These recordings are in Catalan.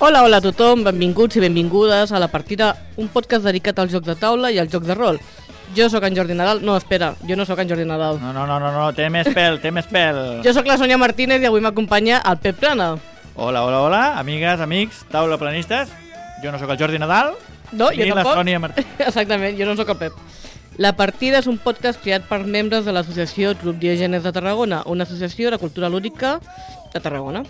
Hola a tothom, benvinguts i benvingudes a La Partida, un podcast dedicat als jocs de taula i als jocs de rol. Jo sóc en Jordi Nadal. No, espera, jo no sóc en Jordi Nadal. No, té més pèl. Jo sóc la Sònia Martínez i avui m'acompanya el Pep Plana. Hola, amigues, amics, taula planistes. Jo no sóc el Jordi Nadal, no, ni jo la tampoc. Sònia Martínez. Exactament, jo no sóc el Pep. La Partida és un podcast creat per membres de l'associació Club Diògenes de Tarragona, una associació de cultura lúdica de Tarragona.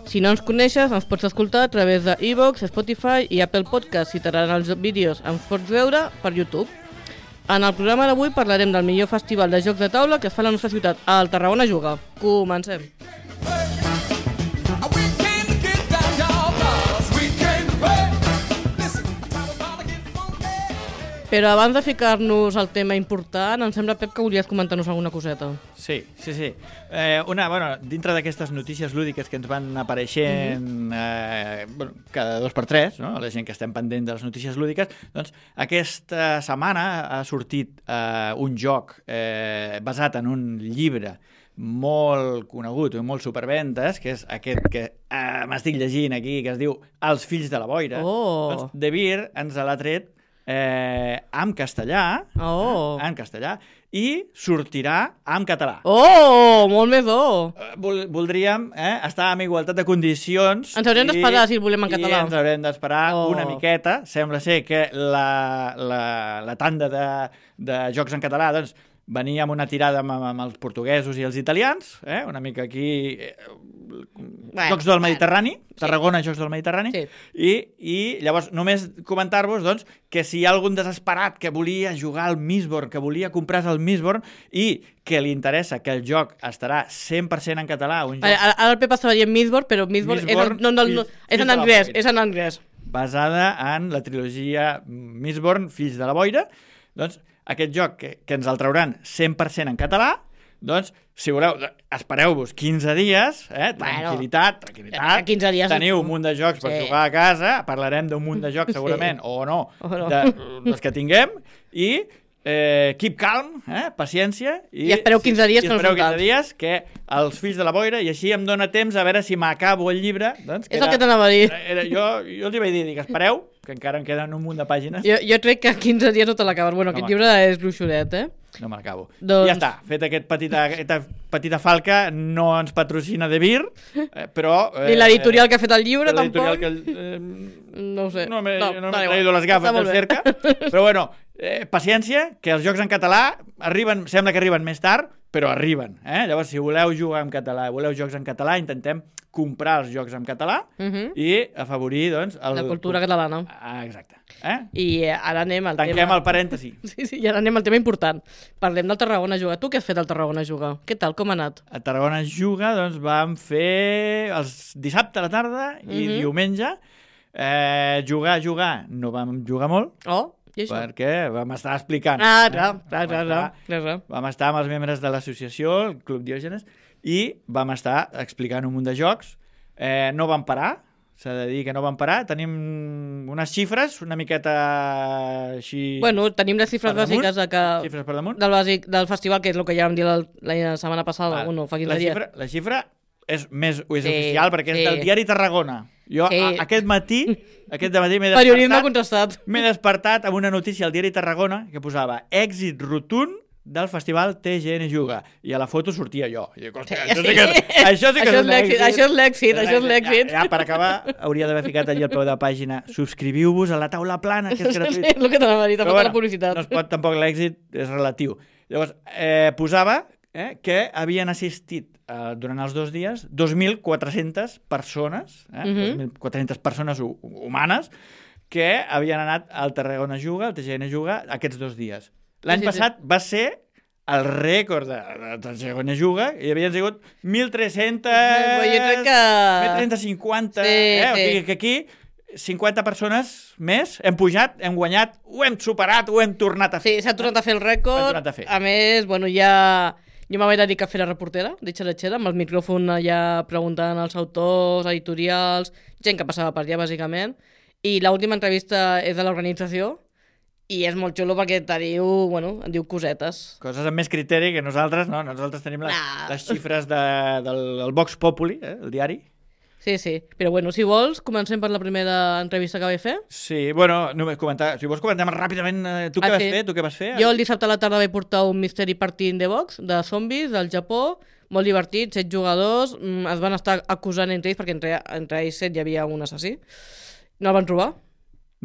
Si no ens coneixes, ens pots escoltar a través de iVoox, Spotify i Apple Podcast. Si t'agraden els vídeos, ens pots veure per YouTube. En el programa d'avui parlarem del millor festival de jocs de taula que es fa a la nostra ciutat, al Tarragona Juga. Comencem. Però abans de ficar-nos al tema important, em sembla, Pep, que volies comentar-nos alguna coseta. Sí. Dintre d'aquestes notícies lúdiques que ens van apareixent cada 2 per 3, no? La gent que estem pendent de les notícies lúdiques, doncs aquesta setmana ha sortit un joc basat en un llibre molt conegut i molt superventes, que és aquest que m'estic llegint aquí, que es diu Els fills de la boira. Doncs De Beer ens l'ha tret en castellà, i sortirà en català. Molt més Voldríem estar en igualtat de condicions. Ens haurem d'esperar si el volem en català. I ens haurem d'esperar una miqueta. Sembla ser que la tanda de jocs en català doncs venia amb una tirada amb els portuguesos i els italians, una mica aquí Jocs del Mediterrani, Tarragona, Jocs del Mediterrani, i llavors només comentar-vos doncs, que si hi ha algun desesperat que volia jugar al Mistborn, que volia comprar el Mistborn i que li interessa que el joc estarà 100% en català... Ara el Pep estava dient Mistborn, però Mistborn és en anglès. Basada en la trilogia Mistborn, Fills de la Boira, doncs aquest joc que ens el trauran 100% en català, doncs, si voleu, espereu-vos 15 dies, tranquil·litat, 15 dies teniu un munt de jocs per jugar a casa, parlarem d'un munt de jocs segurament, o no, dels que tinguem, i keep calm, paciència, i espereu 15 dies, que els fills de la boira, i així em dóna temps a veure si m'acabo el llibre. Doncs, és el que t'anava a dir. Jo els hi vaig dir, espereu, que encara em queden un munt de pàgines. Jo crec que 15 dies no te l'acabes. Bueno, aquest llibre és gruixoret, No me l'acabo. Ja està, fet aquesta petita falca, no ens patrocina De Beer, però... Ni l'editorial que ha fet el llibre, tampoc? No ho sé. No m'he ido les gafes del cerca. Però bueno, paciència, que els jocs en català sembla que arriben més tard, però arriben. Llavors, si voleu jugar en català, voleu jocs en català, intentem comprar els jocs en català i afavorir, doncs... la cultura catalana. Exacte. I ara anem al tema... Tanquem el parèntesi. Sí, i ara anem al tema important. Parlem del Tarragona Juga. Tu què has fet al Tarragona Juga? Què tal? Com ha anat? A Tarragona Juga, doncs, vam fer dissabte a la tarda i diumenge. Jugar, no vam jugar molt. Perquè vam estar explicant. Clar. Vam estar amb els membres de l'associació, el Club Diògenes, i vam estar explicant un munt de jocs. No vam parar, s'ha de dir que no vam parar. Tenim unes xifres una miqueta així... Bueno, tenim les xifres bàsiques xifres per damunt. Del festival, que és el que ja vam dir la setmana passada. Fa 15 dies. La xifra és oficial, perquè és del diari Tarragona. Jo aquest matí m'he despertat amb una notícia al diari Tarragona que posava èxit rotund del festival TGN Juga, i a la foto sortia jo. Això sí que és un èxit. Això és l'èxit. Ja, per acabar, hauria d'haver ficat allà al peu de pàgina: subscriviu-vos a la taula plana, que és gratuït. És el que t'anava a dir, tampoc la publicitat. No es pot, tampoc l'èxit és relatiu. Llavors, posava que havien assistit durant els 2 dies 2.400 persones, 2.400 persones humanes, que havien anat al Tarragona Juga, al TGN Juga, aquests 2 dies. L'any passat va ser el rècord de Tarragona Juga, i havien sigut 1.300... 1.350... Que aquí 50 persones més, hem pujat, hem guanyat, ho hem superat, ho hem tornat a fer. Sí, s'ha tornat a fer el rècord. A més, bueno, jo me vaig dedicar a fer la reportera de Xeratxera, amb el micròfon allà preguntant als autors, editorials, gent que passava per allà, bàsicament. I l'última entrevista és de l'organització, i és molt xulo perquè et diu cosetes. Coses amb més criteri que nosaltres, no? Nosaltres tenim les xifres del Vox Populi, el diari. Sí. Però bueno, si vols, comencem per la primera entrevista que vaig fer. Sí, bueno, només comentar, si vols comentem ràpidament tu què vas fer, tu què vas fer? Jo el dissabte a la tarda vaig portar un Mystery Party in the Box de zombis del Japó, molt divertit, 7 jugadors, es van estar acusant entre ells, perquè entre ells 7 hi havia un assassí. No el van trobar.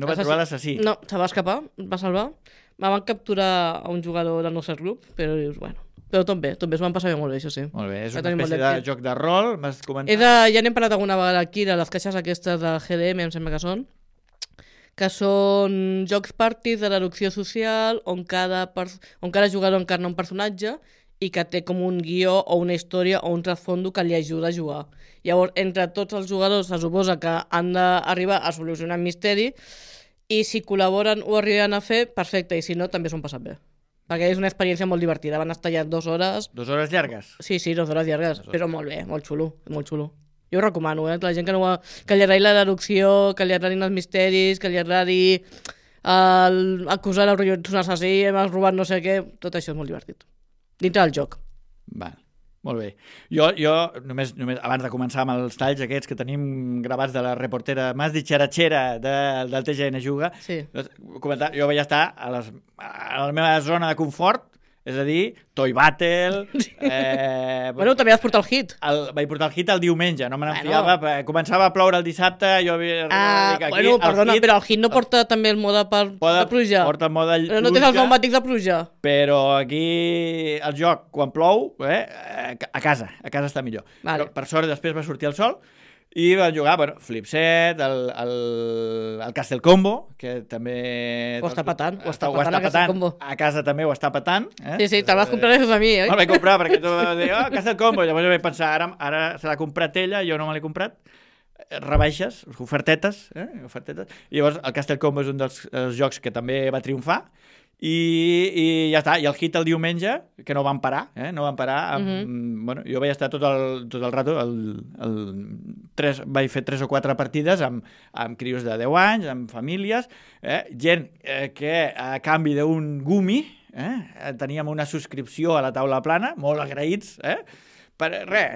No va trobar l'assassí? No, se va escapar, va salvar. Me van capturar a un jugador del nostre grup, però dius, bueno... Però tot bé, s'ho van passar molt bé, això sí. Molt bé, és una espècie de joc de rol, m'has comentat? Ja n'hem parlat alguna vegada aquí, de les caixes aquestes de GDM, em sembla que són jocs parties de l'erupció social on cada jugador encarna un personatge i que té com un guió o una història o un trasfondo que li ajuda a jugar. Llavors, entre tots els jugadors se suposa que han d'arribar a solucionar un misteri i si col·laboren o arriben a fer, perfecte, i si no, també s'ho han passat bé. Perquè és una experiència molt divertida. Van estar allà 2 hores. 2 hores llargues? Sí, 2 hores llargues, però molt bé, molt xulo, molt xulo. Jo ho recomano, la gent que li agradi l'erupció, que li agradin els misteris, que li agradi acusar el rotllo d'un assassí, m'has robat no sé què, tot això és molt divertit. Dintre del joc. Val. Molt bé. Jo només abans de començar amb els talls aquests que tenim gravats de la reportera més ditxeratxera del TGN Juga, comentar, jo vaig estar a la meva zona de confort, és a dir, Toy Battle... Bueno, també vas portar el hit. Vaig portar el hit el diumenge, no me n'enfiava. Començava a ploure el dissabte, jo havia... Bueno, perdona, però el hit no porta també el mode de pluja. Porta el mode de pluja. Però no tens els pneumàtics de pluja. Però aquí el joc, quan plou, a casa està millor. Però, per sort, després va sortir el sol i van jugar, Flipset, el Castle Combo, que també... Ho està patant, a casa també ho està patant. Sí, te'l vas comprar gràcies a mi, oi? Me'l vaig comprar perquè tu vas dir, Castle Combo, llavors jo vaig pensar, ara se l'ha comprat ella, jo no me l'he comprat, rebaixes, ofertetes, i llavors el Castle Combo és un dels jocs que també va triomfar, i ja està, i el hit el diumenge, que no van parar, no van parar, bueno, jo vaig estar tot el rato, vaig fer 3 o 4 partides amb crios de 10 anys, amb famílies, gent que a canvi d'un gumi teníem una subscripció a la taula plana, molt agraïts, per res,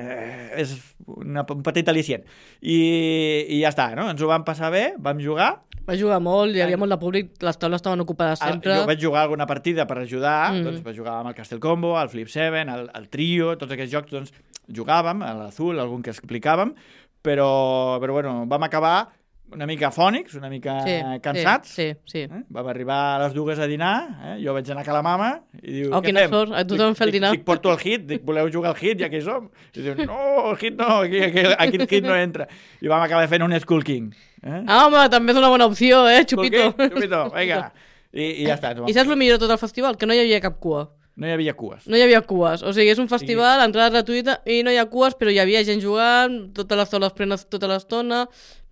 és un petit al·licient. I ja està, no? Ens ho vam passar bé, vam jugar. Va jugar molt, hi havia molt de públic, les taules estaven ocupades sempre. Jo vaig jugar alguna partida per ajudar, doncs vaig jugar amb el Castle Combo, el Flip 7, el Trio, tots aquests jocs, doncs jugàvem, a l'Azul, algun que explicàvem, però bueno, vam acabar una mica afònics, una mica cansats. Sí. Vam arribar a les 2 a dinar, jo vaig anar a la mama i diu, què fem? Sort, a tothom fer el dinar. Dic, porto el hit, dic, voleu jugar al hit, ja que hi som? I diu, no, el hit no, aquí el hit no entra. I vam acabar fent un Skull King. Home, també és una bona opció, Chupito. Chupito, vinga. I ja està. I saps el millor de tot el festival? Que no hi havia cap cua. No hi havia cues. No hi havia cues. O sigui, és un festival, entrada gratuïta, i no hi ha cues, però hi havia gent jugant, totes les taules plenes tota l'estona,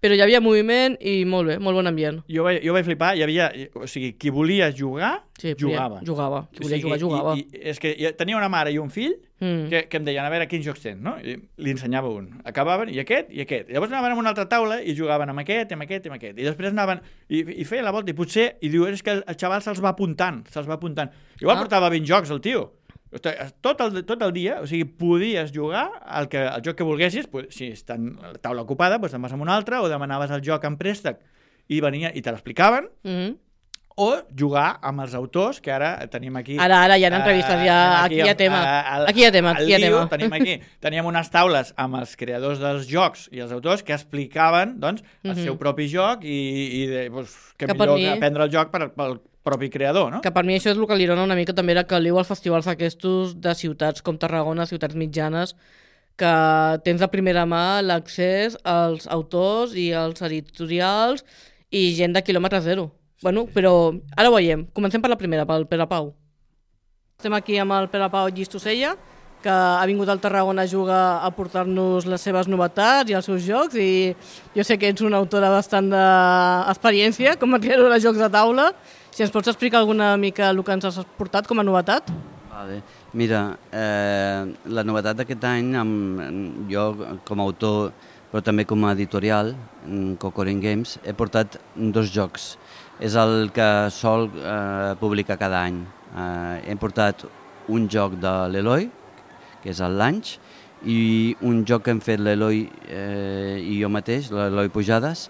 però hi havia moviment i molt bé, molt bon ambient. Jo vaig flipar, hi havia... O sigui, qui volia jugar, jugava. Qui volia jugar, jugava. I és que tenia una mare i un fill que em deien, a veure, quins jocs tens, no? I li ensenyava un. Acabaven, i aquest. Llavors anaven a una altra taula i jugaven amb aquest, amb aquest, amb aquest. I després anaven i feia la volta, i potser... I diu, és que el xaval se'ls va apuntant. Igual portava 20 jocs, el tio. Tot el dia, o sigui, podies jugar el joc que volguessis, si està la taula ocupada, doncs te'n vas a una altra, o demanaves el joc en préstec i venia i te l'explicaven, o jugar amb els autors, que ara tenim aquí... Ara hi ha entrevistes, aquí hi ha tema. Teníem unes taules amb els creadors dels jocs i els autors que explicaven doncs, el seu propi joc i que millor que aprendre el joc pel propi creador, no? Que per mi això és el que li dona una mica també la caliu als festivals aquests de ciutats com Tarragona, ciutats mitjanes, que tens de primera mà l'accés als autors i als editorials i gent de quilòmetre zero. Bueno, però ara ho veiem. Comencem per la primera, pel Pere Pau. Estem aquí amb el Pere Pau Llistosella, que ha vingut al Tarragona a jugar a portar-nos les seves novetats i els seus jocs, i jo sé que ets una autora bastant d'experiència com a creador de jocs de taula. Si ens pots explicar alguna mica el que ens has portat com a novetat? Vale. Mira, la novetat d'aquest any, jo com a autor, però també com a editorial, Cocorin Games, he portat 2 jocs. És el que sol publicar cada any. Hem portat un joc de l'Eloi, que és el Lunch, i un joc que hem fet l'Eloi i jo mateix, l'Eloi Pujades,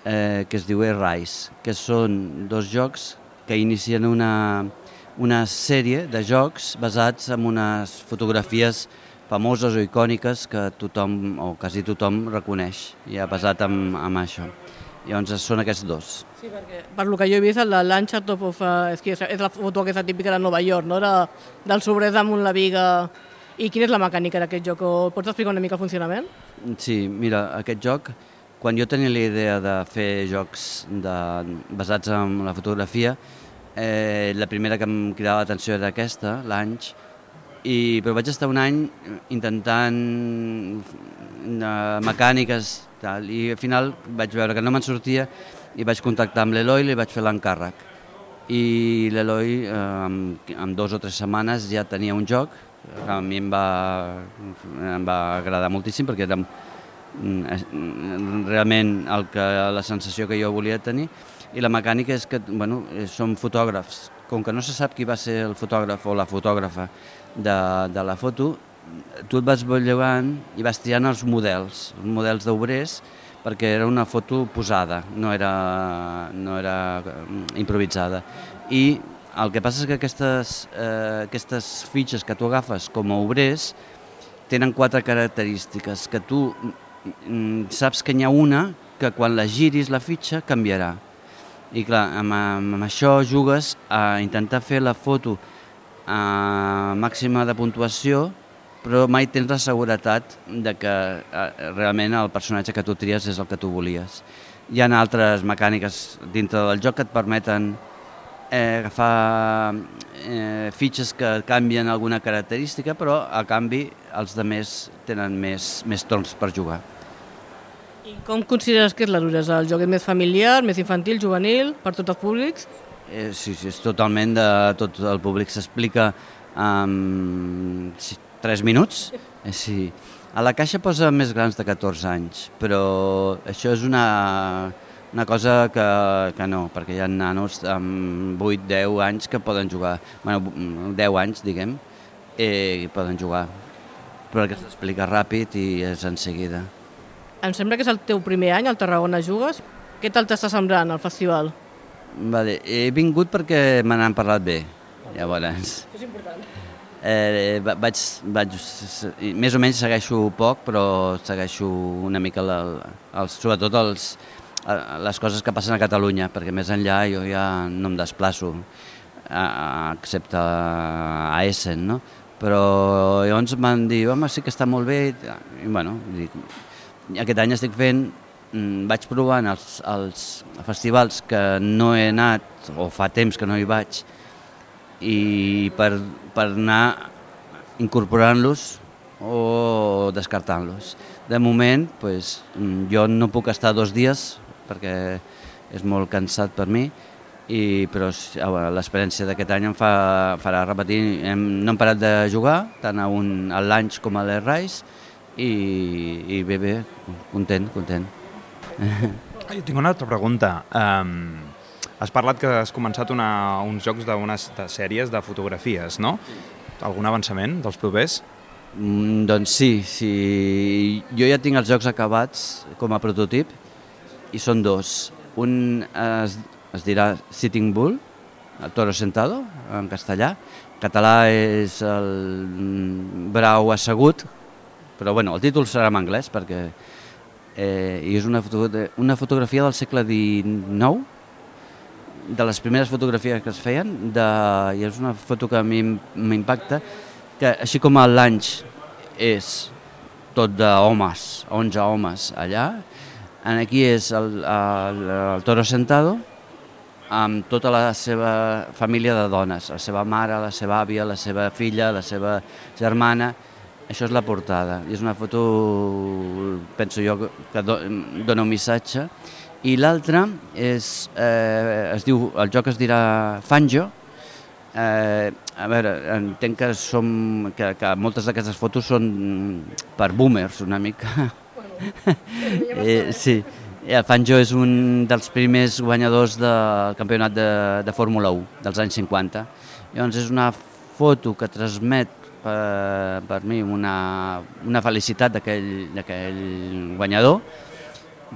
que es diu Rise, que són 2 jocs que inicien una sèrie de jocs basats en unes fotografies famoses o icòniques que tothom, o quasi tothom, reconeix, i ha basat en això. Llavors són aquests 2. Sí, perquè per lo que jo he vist, el de Lancha Top of... és la foto aquesta típica de Nova York, no? Del sobrers damunt la viga. I quina és la mecànica d'aquest joc? Pots explicar una mica el funcionament? Sí, mira, aquest joc, quan jo tenia la idea de fer jocs basats en la fotografia, la primera que em cridava l'atenció era aquesta, l'Anys, però vaig estar un any intentant mecàniques, tal, i al final vaig veure que no me'n sortia i vaig contactar amb l'Eloi i li vaig fer l'encàrrec. I l'Eloi, en 2 o 3 setmanes, ja tenia un joc que a mi em va agradar moltíssim perquè era realment la sensació que jo volia tenir. I la mecànica és que som fotògrafs. Com que no se sap qui va ser el fotògraf o la fotògrafa de la foto, tu et vas llogant i vas triant els models d'obrers, perquè era una foto posada, no era improvisada. I el que passa és que aquestes fitxes que tu agafes com a obrers tenen 4 característiques, que tu saps que n'hi ha una que quan la giris la fitxa canviarà. I clar, amb això jugues a intentar fer la foto a màxima de puntuació, però mai tens la seguretat de que realment el personatge que tu tries és el que tu volies. Hi ha altres mecàniques dintre del joc que et permeten agafar fitxes que canvien alguna característica, però a canvi els altres tenen més torns per jugar. I com consideres que és la duresa? El joc és més familiar, més infantil, juvenil, per tots els públics? Sí, és totalment de tot el públic. S'explica en 3 minuts. Sí. A la caixa posa més grans de 14 anys, però això és una cosa que no, perquè hi ha nanos amb 8-10 anys que poden jugar. 10 anys, diguem, i poden jugar, perquè s'explica ràpid i és en seguida. Em sembla que és el teu primer any al Tarragona Jugues. Què tal t'està semblant el festival? Vale, he vingut perquè me n'han parlat bé, llavors. Això és important. Més o menys segueixo poc, però segueixo una mica sobretot les coses que passen a Catalunya, perquè més enllà jo ja no em desplaço, excepte a Essen, no? Però llavors m'han dit, home, sí que està molt bé, i bueno, aquest any estic fent, vaig provant els festivals que no he anat, o fa temps que no hi vaig, i per anar incorporant-los o descartant-los. De moment, jo no puc estar 2 dies perquè és molt cansat per mi, però l'experiència d'aquest any em farà repetir. No hem parat de jugar, tant al Lanch com a l'Rise, i bé, content. Jo tinc una altra pregunta. Has parlat que has començat uns jocs d'unes sèries de fotografies, no? Algun avançament dels propers? Doncs sí. Jo ja tinc els jocs acabats com a prototip i són 2. Un es dirà Sitting Bull, el toro sentado, en castellà. En català és el brau assegut, però el títol serà en anglès perquè és una fotografia del segle XIX, de les primeres fotografies que es feien, i és una foto que a mi m'impacta, que així com el Lanch és tot d'homes, 11 homes allà, aquí és el toro sentado amb tota la seva família de dones, la seva mare, la seva àvia, la seva filla, la seva germana. Això és la portada, i és una foto, penso jo, que dona un missatge. I l'altre el joc es dirà Fanjo. A veure, entenc que moltes d'aquestes fotos són per boomers, una mica. Sí, el Fanjo és un dels primers guanyadors del campionat de Fórmula 1 dels anys 50. Llavors és una foto que transmet per mi una felicitat d'aquell guanyador,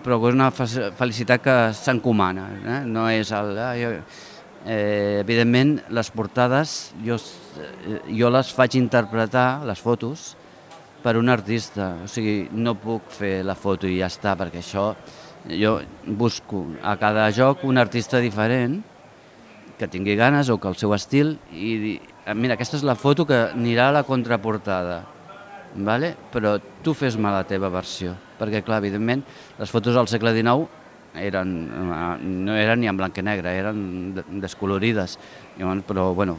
però és una felicitat que s'encomana, no és evidentment, les portades jo les faig interpretar, les fotos, per un artista. O sigui, no puc fer la foto i ja està, perquè això jo busco a cada joc un artista diferent que tingui ganes o que el seu estil i mira, aquesta és la foto que anirà a la contraportada, vale? Però tu fes-me la teva versió, perquè clar, evidentment, les fotos del segle XIX no eren ni en blanc i negre, eren descolorides, però bueno,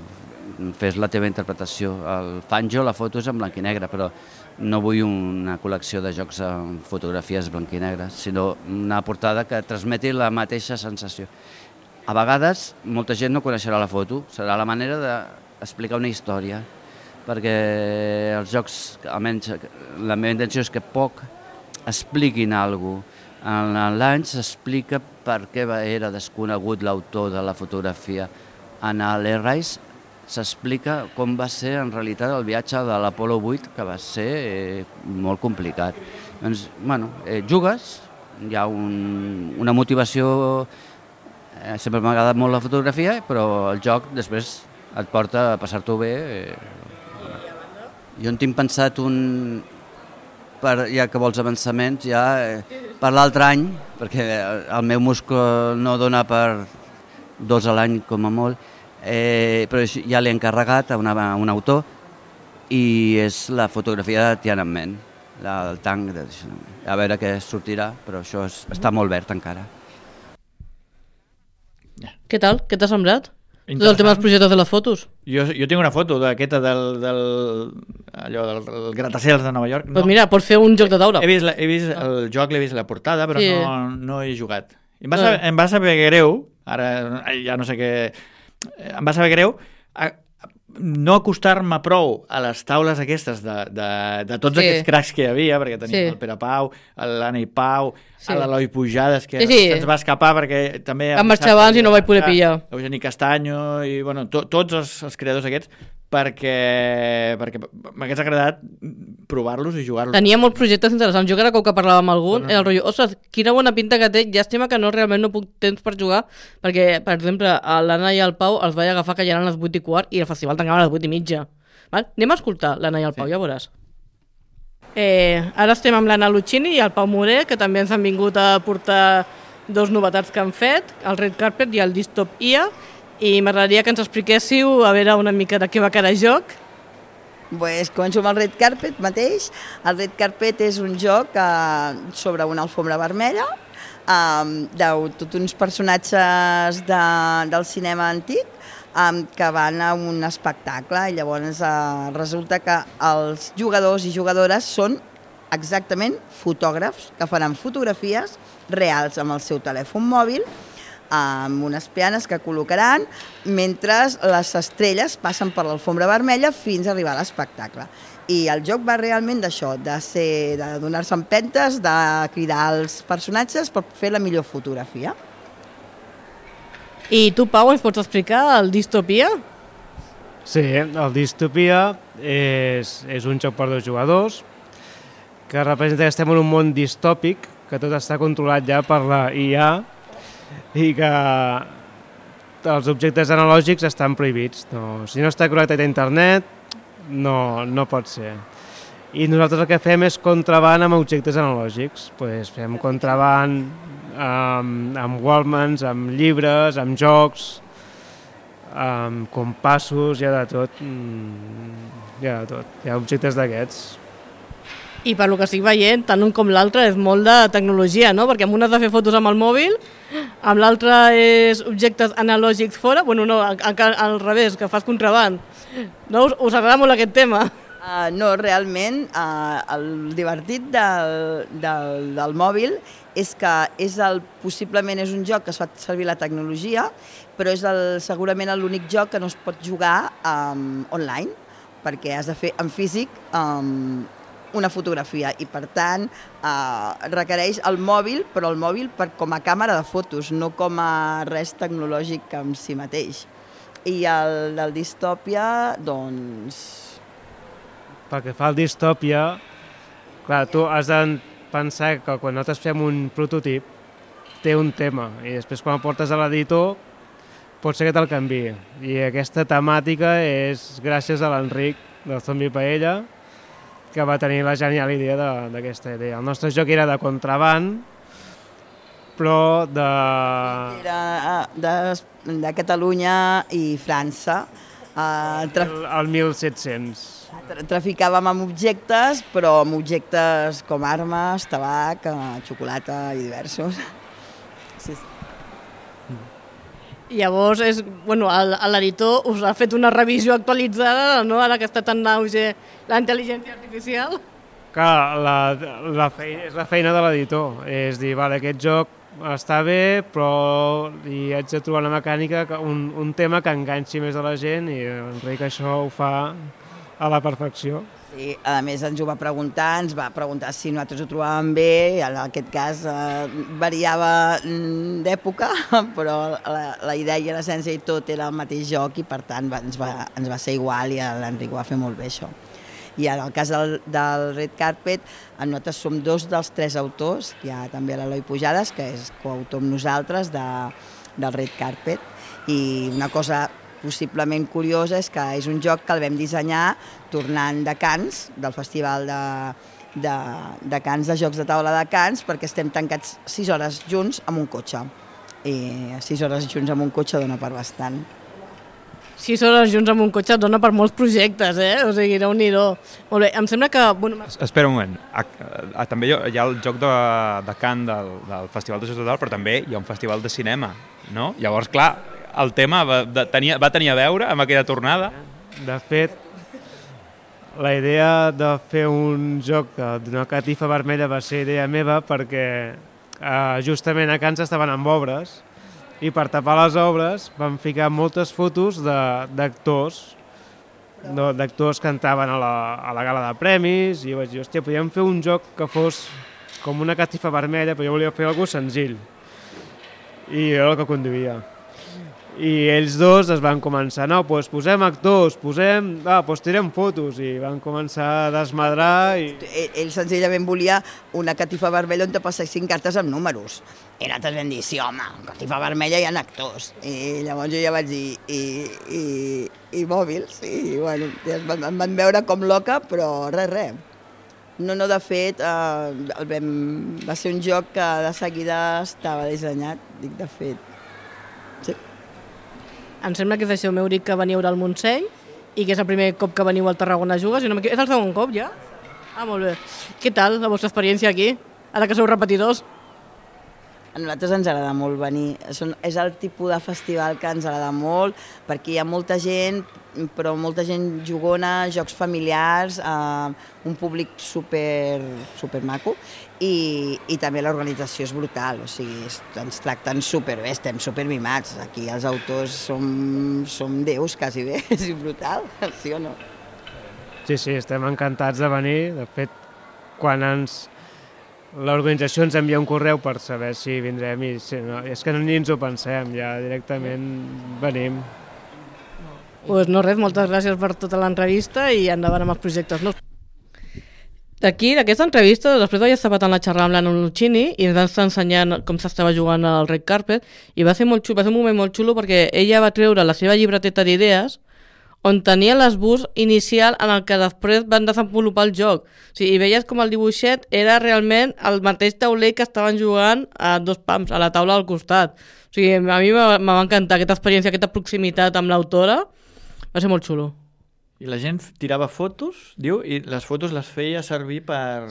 fes la teva interpretació. El Fanjo, la foto és en blanc i negre, però no vull una col·lecció de jocs amb fotografies blanc i negre, sinó una portada que transmeti la mateixa sensació. A vegades, molta gent no coneixerà la foto, serà la manera d'explicar una història, perquè els jocs, almenys la meva intenció és que poc expliquin alguna cosa. En l'any s'explica per què era desconegut l'autor de la fotografia. En l'Airrise s'explica com va ser en realitat el viatge de l'Apolo 8, que va ser molt complicat. Doncs, bueno, jugues, hi ha una motivació, sempre m'ha agradat molt la fotografia, però el joc després et porta a passar-t'ho bé. Jo en tinc pensat ja que vols avançaments, ja per l'altre any, perquè el meu múscul no dona per 2 a l'any com a molt, però ja l'he encarregat a un autor i és la fotografia de Tiananmen, el tanc, a veure què sortirà, però això està molt verd encara. Què tal? Què t'ha semblat? Tot el tema dels projectes de les fotos. Jo tinc una foto d'aquesta del gratacels de Nova York. Doncs mira, pots fer un joc de taula. He vist el joc, l'he vist la portada, però no he jugat. Em va saber greu, ara ja no sé què... Em va saber greu no acostar-me prou a les taules aquestes de tots aquests cracs que hi havia, perquè tenim el Pere Pau, l'Anna i Pau, l'Eloi Pujades, que se'ns va escapar perquè també... Vam marxar abans i no vaig poder pillar. Eugeni Castanyo i bueno, tots els creadors aquests, perquè m'hagués agradat provar-los i jugar-los. Tenia molts projectes interessants. Jo cada cop que parlava amb algun era el rotllo, ostres, quina bona pinta que té, llàstima que realment no puc temps per jugar, perquè, per exemple, l'Anna i el Pau els vaig agafar que ja eren les 8:15 i el festival tancava a les 8:30. Anem a escoltar l'Anna i el Pau, ja veuràs. Ara estem amb l'Anna Lucchini i el Pau Morer, que també ens han vingut a portar 2 novetats que han fet, el Red Carpet i el Dystopia, i m'agradaria que ens expliquéssiu a veure una mica de què va cada joc. Pues començo amb el Red Carpet mateix. El Red Carpet és un joc sobre una alfombra vermella, tots uns personatges del cinema antic que van a un espectacle i llavors resulta que els jugadors i jugadores són exactament fotògrafs que faran fotografies reals amb el seu telèfon mòbil amb unes peanes que col·locaran mentre les estrelles passen per l'alfombra vermella fins a arribar a l'espectacle. I el joc va realment d'això, de donar-se empentes, de cridar els personatges per fer la millor fotografia. I tu, Pau, ens pots explicar el Dystopia? Sí, el Dystopia és un joc per 2 jugadors que representa que estem en un món distòpic, que tot està controlat ja per la IA i que els objectes analògics estan prohibits. Si no està connectat a internet, no pot ser. I nosaltres el que fem és contraban amb objectes analògics. Fem contraban amb Wallmans, amb llibres, amb jocs, amb compassos, hi ha de tot. Hi ha objectes d'aquests. I per lo que estic veient, tant un com l'altre és molt de tecnologia, no? Perquè amb un has de fer fotos amb el mòbil, amb l'altre és objectes analògics fora, bueno, no, al revés, que fas contraband. No? Us agrada molt aquest tema? No, realment, el divertit del mòbil és que possiblement és un joc que es fa servir la tecnologia, però és segurament l'únic joc que no es pot jugar online, perquè has de fer en físic una fotografia i per tant requereix el mòbil, però el mòbil com a càmera de fotos, no com a res tecnològic en si mateix. I el del Dystopia, doncs, pel que fa al Distòpia, clar, tu has de pensar que quan nosaltres fem un prototip té un tema i després quan el portes a l'editor pot ser que te'l canviï. I aquesta temàtica és gràcies a l'Enric del Zombie Paella, que va tenir la genial idea d'aquesta idea. El nostre joc era de contraband, però Era de Catalunya i França. el 1700. Traficàvem amb objectes, però amb objectes com armes, tabac, xocolata i diversos. Sí. Llavors, l'editor us ha fet una revisió actualitzada, no? Ara que està tan en auge la intel·ligència artificial. Clar, és la feina de l'editor, és dir, vale, aquest joc està bé, però hi haig de trobar una mecànica, un tema que enganxi més a la gent i Enric això ho fa a la perfecció. Sí, a més ens ho va preguntar, ens va preguntar si nosaltres ho trobàvem bé, en aquest cas variava d'època, però la idea i l'essència i tot era el mateix joc i per tant ens va ser igual i l'Enric ho va fer molt bé això. I en el cas del Red Carpet, nosaltres som 2 dels 3 autors, hi ha també l'Eloi Pujades, que és coautor amb nosaltres del Red Carpet, i una cosa possiblement curiosa és que és un joc que el vam dissenyar tornant de Cannes, del Festival de Cannes, de Jocs de Taula de Cannes, perquè estem tancats 6 hores junts amb un cotxe. I 6 hores junts amb un cotxe dona per bastant. 6 hores junts amb un cotxe dona per molts projectes, O sigui, Déu-n'hi-do. Molt bé, em sembla que... Espera un moment. També hi ha el joc de Cannes del Festival de Jocs de Taula, però també hi ha un festival de cinema, no? Llavors, clar, el tema va tenir a veure amb aquella tornada. De fet, la idea de fer un joc d'una catifa vermella va ser idea meva perquè justament a Cannes estaven amb obres i per tapar les obres van ficar moltes fotos d'actors que entraven a la gala de premis i vaig dir, hòstia, podríem fer un joc que fos com una catifa vermella, però jo volia fer alguna cosa senzill. I era el que conduïa. I ells dos es van començar, no, doncs posem actors, tirem fotos, i van començar a desmadrar. Ell senzillament volia una catifa vermella on te passessin cartes amb números. I nosaltres vam dir, sí, home, catifa vermella hi ha actors. I llavors jo ja vaig dir, i mòbils, i bueno, em van veure com loca, però res. No, de fet, va ser un joc que de seguida estava dissenyat, dic, de fet. Sí. Em sembla que és això, m'heu dit que veniu al Montseny i que és el primer cop que veniu al Tarragona a jugar. És el segon cop, ja? Ah, molt bé. Què tal la vostra experiència aquí, ara que sou repetidors? A nosaltres ens agrada molt venir. És el tipus de festival que ens agrada molt, perquè hi ha molta gent, però molta gent jugona, jocs familiars, un públic super maco, i també l'organització és brutal, o sigui, ens tracten superbé, estem supermimats. Aquí els autors som déus, quasi bé, és brutal, sí o no? Sí, estem encantats de venir. De fet, quan l'organització ens envia un correu per saber si vindrem i és que ni ens ho pensem, ja directament venim. Doncs no res, moltes gràcies per tota l'entrevista i endavant amb els projectes. D'aquí, d'aquesta entrevista, després vaig estar patant la xerrada amb l'Anna Lucchini i ens va estar ensenyant com s'estava jugant al Red Carpet i va ser molt xulo, va ser un moment molt xulo perquè ella va treure la seva llibreteta d'idees on tenia l'esbús inicial en el que després van desenvolupar el joc. O sigui, i veies com el dibuixet era realment el mateix tauler que estaven jugant a 2 pams, a la taula al costat. O sigui, a mi me va encantar aquesta experiència, aquesta proximitat amb l'autora. Va ser molt xulo. I la gent tirava fotos, diu, i les fotos les feia servir per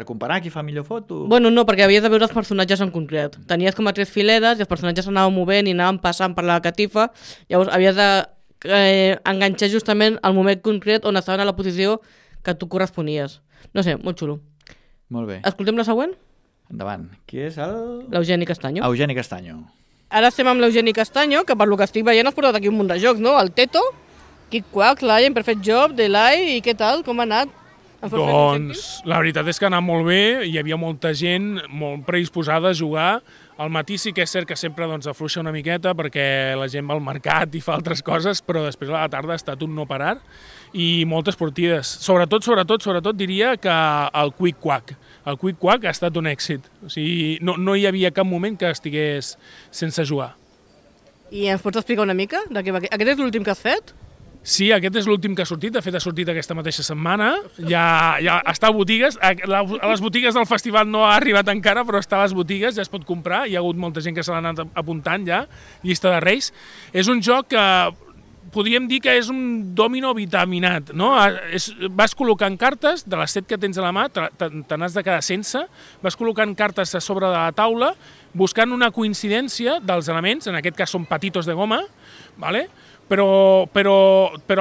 comparar qui fa millor foto? Bueno, no, perquè havies de veure els personatges en concret. Tenies com a 3 fileres i els personatges s'anaven movent i anaven passant per la catifa. Llavors havies de enganxar justament el moment concret on estaven a la posició que tu corresponies. No sé, molt xulo. Molt bé. Escoltem la següent? Endavant. Qui és el... L'Eugeni Castanyo. Eugeni Castanyo. Ara estem amb l'Eugeni Castanyo, que per lo que estic veient has portat aquí un munt de jocs, no? El Teto, Kick Quack, Lion, Perfect Job, Delay, i què tal? Com ha anat? Doncs la veritat és que ha anat molt bé, hi havia molta gent molt predisposada a jugar. Al matí sí que és cert que sempre afluixa una miqueta perquè la gent va al mercat i fa altres coses, però després a la tarda ha estat un no parar i moltes partides. Sobretot diria que el Quick Quack. El Quick Quack ha estat un èxit. O sigui, no hi havia cap moment que estigués sense jugar. I ens pots explicar una mica? Aquest és l'últim que has fet? Sí, aquest és l'últim que ha sortit, de fet ha sortit aquesta mateixa setmana, ja està a botigues, a les botigues del festival no ha arribat encara, però està a les botigues, ja es pot comprar, hi ha hagut molta gent que se l'ha anat apuntant ja, llista de Reis. És un joc que podríem dir que és un dòmino vitaminat, no? Vas col·locant cartes, de les 7 que tens a la mà, te n'has de quedar sense, vas col·locant cartes a sobre de la taula, buscant una coincidència dels elements, en aquest cas són patitos de goma, ¿vale? Però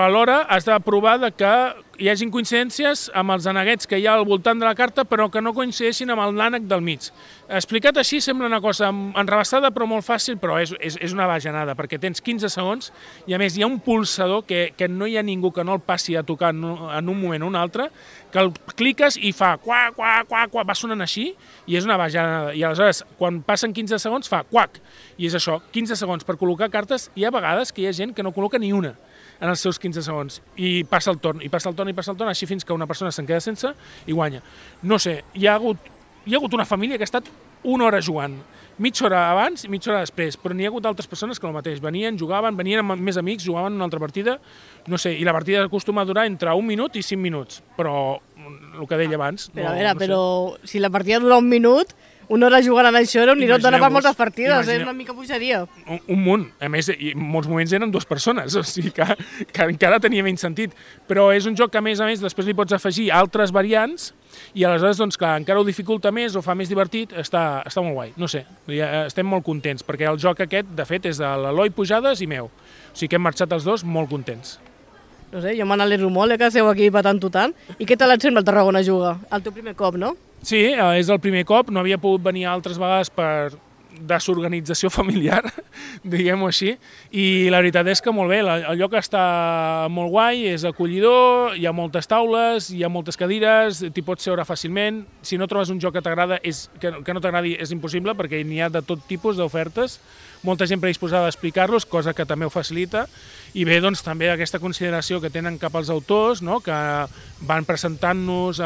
alhora has de provar que hi hagin coincidències amb els aneguets que hi ha al voltant de la carta, però que no coincideixin amb l'ànec del mig. Explicat així sembla una cosa enrebaçada però molt fàcil, però és una bajanada, perquè tens 15 segons i a més hi ha un pulsador que no hi ha ningú que no el passi a tocar en un moment o un altre, que el cliques i fa quac, quac, quac, quac, va sonant així i és una bajanada. I aleshores, quan passen 15 segons, fa quac. I és això, 15 segons per col·locar cartes. Hi ha vegades que hi ha gent que no col·loca ni una en els seus 15 segons. I passa el torn, així fins que una persona se'n queda sense i guanya. No sé, hi ha hagut una família que ha estat una hora jugant. Mitja hora abans i mitja hora després, però n'hi ha hagut altres persones que el mateix. Venien, jugaven, venien amb més amics, jugaven una altra partida, no sé, i la partida acostuma a durar entre 1 minut i 5 minuts, però el que deia abans... Però si la partida dura 1 minut, una hora jugant en això era un nirot, dona per moltes partides, és una mica bogeria. Un munt, a més, i en molts moments eren 2 persones, o sigui que encara tenia menys sentit, però és un joc que a més després li pots afegir altres variants i aleshores, doncs clar, encara ho dificulta més, ho fa més divertit, està molt guai, no sé, estem molt contents, perquè el joc aquest, de fet, és de l'Eloi Pujades i meu, o sigui que hem marxat els dos molt contents. No sé, jo me n'alegro molt, que esteu aquí patant-ho tant. I què tal et sembla el Tarragona Juga? El teu primer cop, no? Sí, és el primer cop, no havia pogut venir altres vegades per desorganització familiar, diguem-ho així, i la veritat és que molt bé, el lloc està molt guai, és acollidor, hi ha moltes taules, hi ha moltes cadires, t'hi pots seure fàcilment, si no trobes un joc que t'agrada, que no t'agradi és impossible perquè n'hi ha de tot tipus d'ofertes, molta gent predisposada a explicar-los, cosa que també ho facilita, i bé, doncs, també aquesta consideració que tenen cap als autors, no?, que van presentant-nos,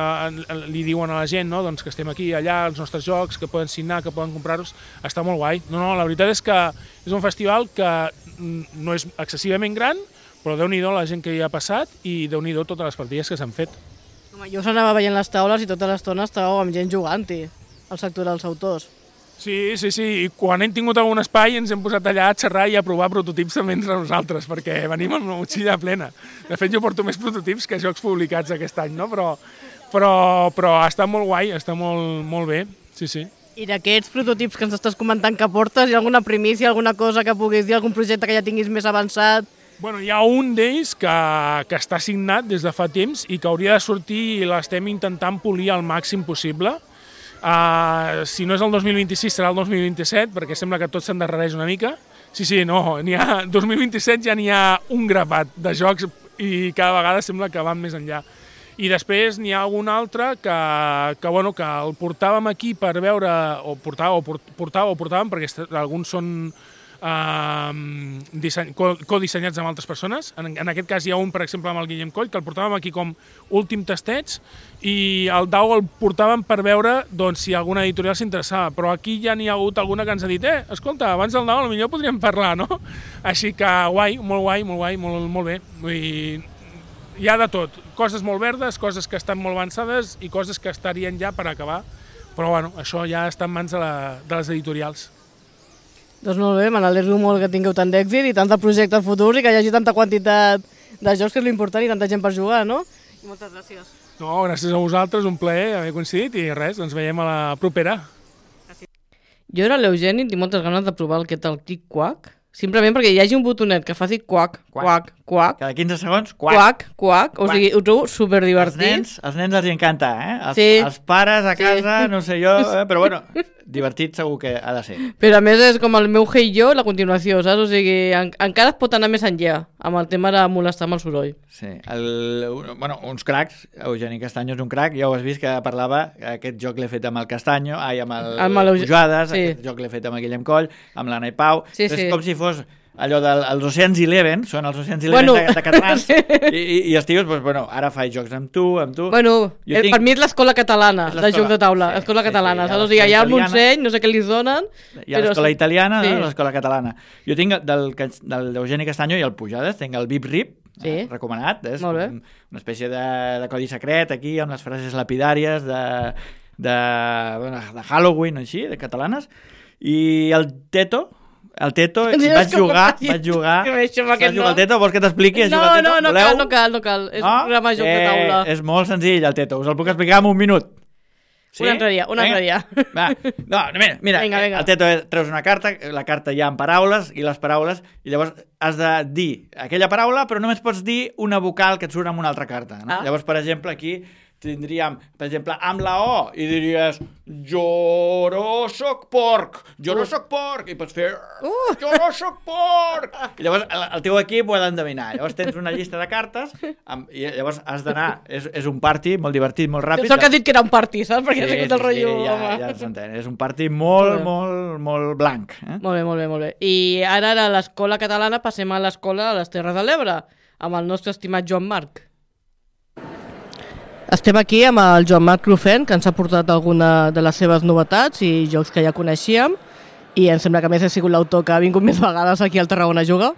li diuen a la gent, no?, doncs, que estem aquí, allà, els nostres jocs, que poden signar, que poden comprar-los, està molt guai. No, la veritat és que és un festival que no és excessivament gran, però déu-n'hi-do la gent que hi ha passat i déu-n'hi-do totes les partides que s'han fet. Home, jo s'anava veient les taules i tota l'estona estàveu amb gent jugant-hi, al sector dels autors. Sí, i quan hem tingut algun espai ens hem posat allà a xerrar i a provar prototips també entre nosaltres, perquè venim amb una motxilla plena. De fet, jo porto més prototips que jocs publicats aquest any, no? Però està molt guai, està molt bé, sí. I d'aquests prototips que ens estàs comentant que portes, hi ha alguna primícia, alguna cosa que puguis dir, algun projecte que ja tinguis més avançat? Bueno, hi ha un d'ells que està signat des de fa temps i que hauria de sortir i l'estem intentant polir al màxim possible. Si no és el 2026 serà el 2027, perquè sembla que tot s'endarrereix una mica. Sí, no, 2027 ja n'hi ha un grapat de jocs i cada vegada sembla que van més enllà. I després n'hi ha algun altre que el portàvem aquí per veure, o portàvem, perquè alguns són codissenyats amb altres persones. En aquest cas hi ha un, per exemple, amb el Guillem Coll, que el portàvem aquí com últim testeig, i el Dau el portàvem per veure doncs, si alguna editorial s'interessava, però aquí ja n'hi ha hagut alguna que ens ha dit escolta, abans del Dau potser podríem parlar, no? Així que guai, molt bé. Vull dir, hi ha de tot, coses molt verdes, coses que estan molt avançades i coses que estarien ja per acabar, però bueno, això ja està en mans de les editorials. Doncs molt bé, me n'alegro molt que tingueu tant d'èxit i tant de projectes futurs i que hi hagi tanta quantitat de jocs, que és l'important, i tanta gent per jugar, no? I moltes gràcies. No, gràcies a vosaltres, un plaer haver coincidit i res, ens veiem a la propera. Jo era l'Eugeni i tinc moltes ganes de provar el que tal Quick Quack, simplement perquè hi hagi un botonet que faci quac, quac, quac. Cada 15 segons, quac, quac. O sigui, ho trobo superdivertit. Els nens els encanta, Els pares a casa, no sé jo, però bueno, divertit segur que ha de ser. Però a més és com el meu Hey Jo, la continuació, saps? O sigui, encara es pot anar més enllà amb el tema de molestar amb el soroll. Sí, bueno, uns cracs, Eugeni Castanyo és un crac, ja ho has vist que parlava, aquest joc l'he fet amb el Castanyo, amb el Pujades, sí. Aquest joc l'he fet amb el Guillem Coll, amb l'Anna i Pau, sí, és com si fos allò dels Oceans 11, són els Oceans 11 de catalans, sí. i estigues, doncs, bueno, ara faig jocs amb tu. Bueno, per mi és l'escola catalana de jocs de taula, sí, l'escola catalana, saps? O sigui, allà al Montseny, no sé què li donen. Hi ha l'escola italiana, sí. L'escola catalana. Jo tinc del Eugeni Castanyo i el Pujades, tinc el Bip Rip, sí. Recomanat, és una espècie de codi secret aquí, amb les frases lapidàries de Halloween, així, de catalanes, i el Teto, vaig jugar. El Teto, vols que t'expliqui? No cal. És un programa de joc de taula. És molt senzill, el Teto. Us el puc explicar en un minut. Sí? Un altre dia. Mira, venga. El Teto treus una carta, la carta hi ha en paraules, i les paraules, i llavors has de dir aquella paraula, però només pots dir una vocal que et surt amb una altra carta. No? Llavors, per exemple, aquí tindríem, per exemple, amb la O, i diries jo no soc porc, i pots fer jo no soc porc. I llavors el teu equip ho ha d'endevinar. Llavors tens una llista de cartes i llavors has d'anar, és un party molt divertit, molt ràpid. Sóc que has dit que era un party, saps? Perquè sí, el rotllo... Ja s'entén, és un party molt blanc. Molt bé. I ara a l'escola catalana passem a l'escola a les Terres de l'Ebre, amb el nostre estimat Joan Marc. Estem aquí amb el Joan Marc Rufén, que ens ha portat alguna de les seves novetats i jocs que ja coneixíem, i em sembla que a més ha sigut l'autor que ha vingut més vegades aquí al Tarragona Juga.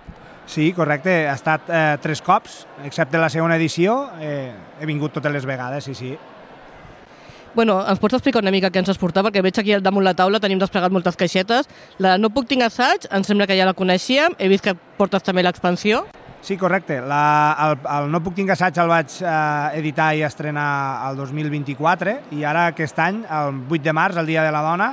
Sí, correcte, ha estat 3 cops, excepte la segona edició, he vingut totes les vegades, sí. Bueno, ens pots explicar una mica què ens has portat, perquè veig aquí damunt la taula tenim desplegat moltes caixetes. La No puc tinc assaig, em sembla que ja la coneixíem, he vist que portes també l'expansió. Sí, correcte. El No puc tinc assaig el vaig editar i estrenar el 2024 i ara aquest any, el 8 de març, el Dia de la Dona,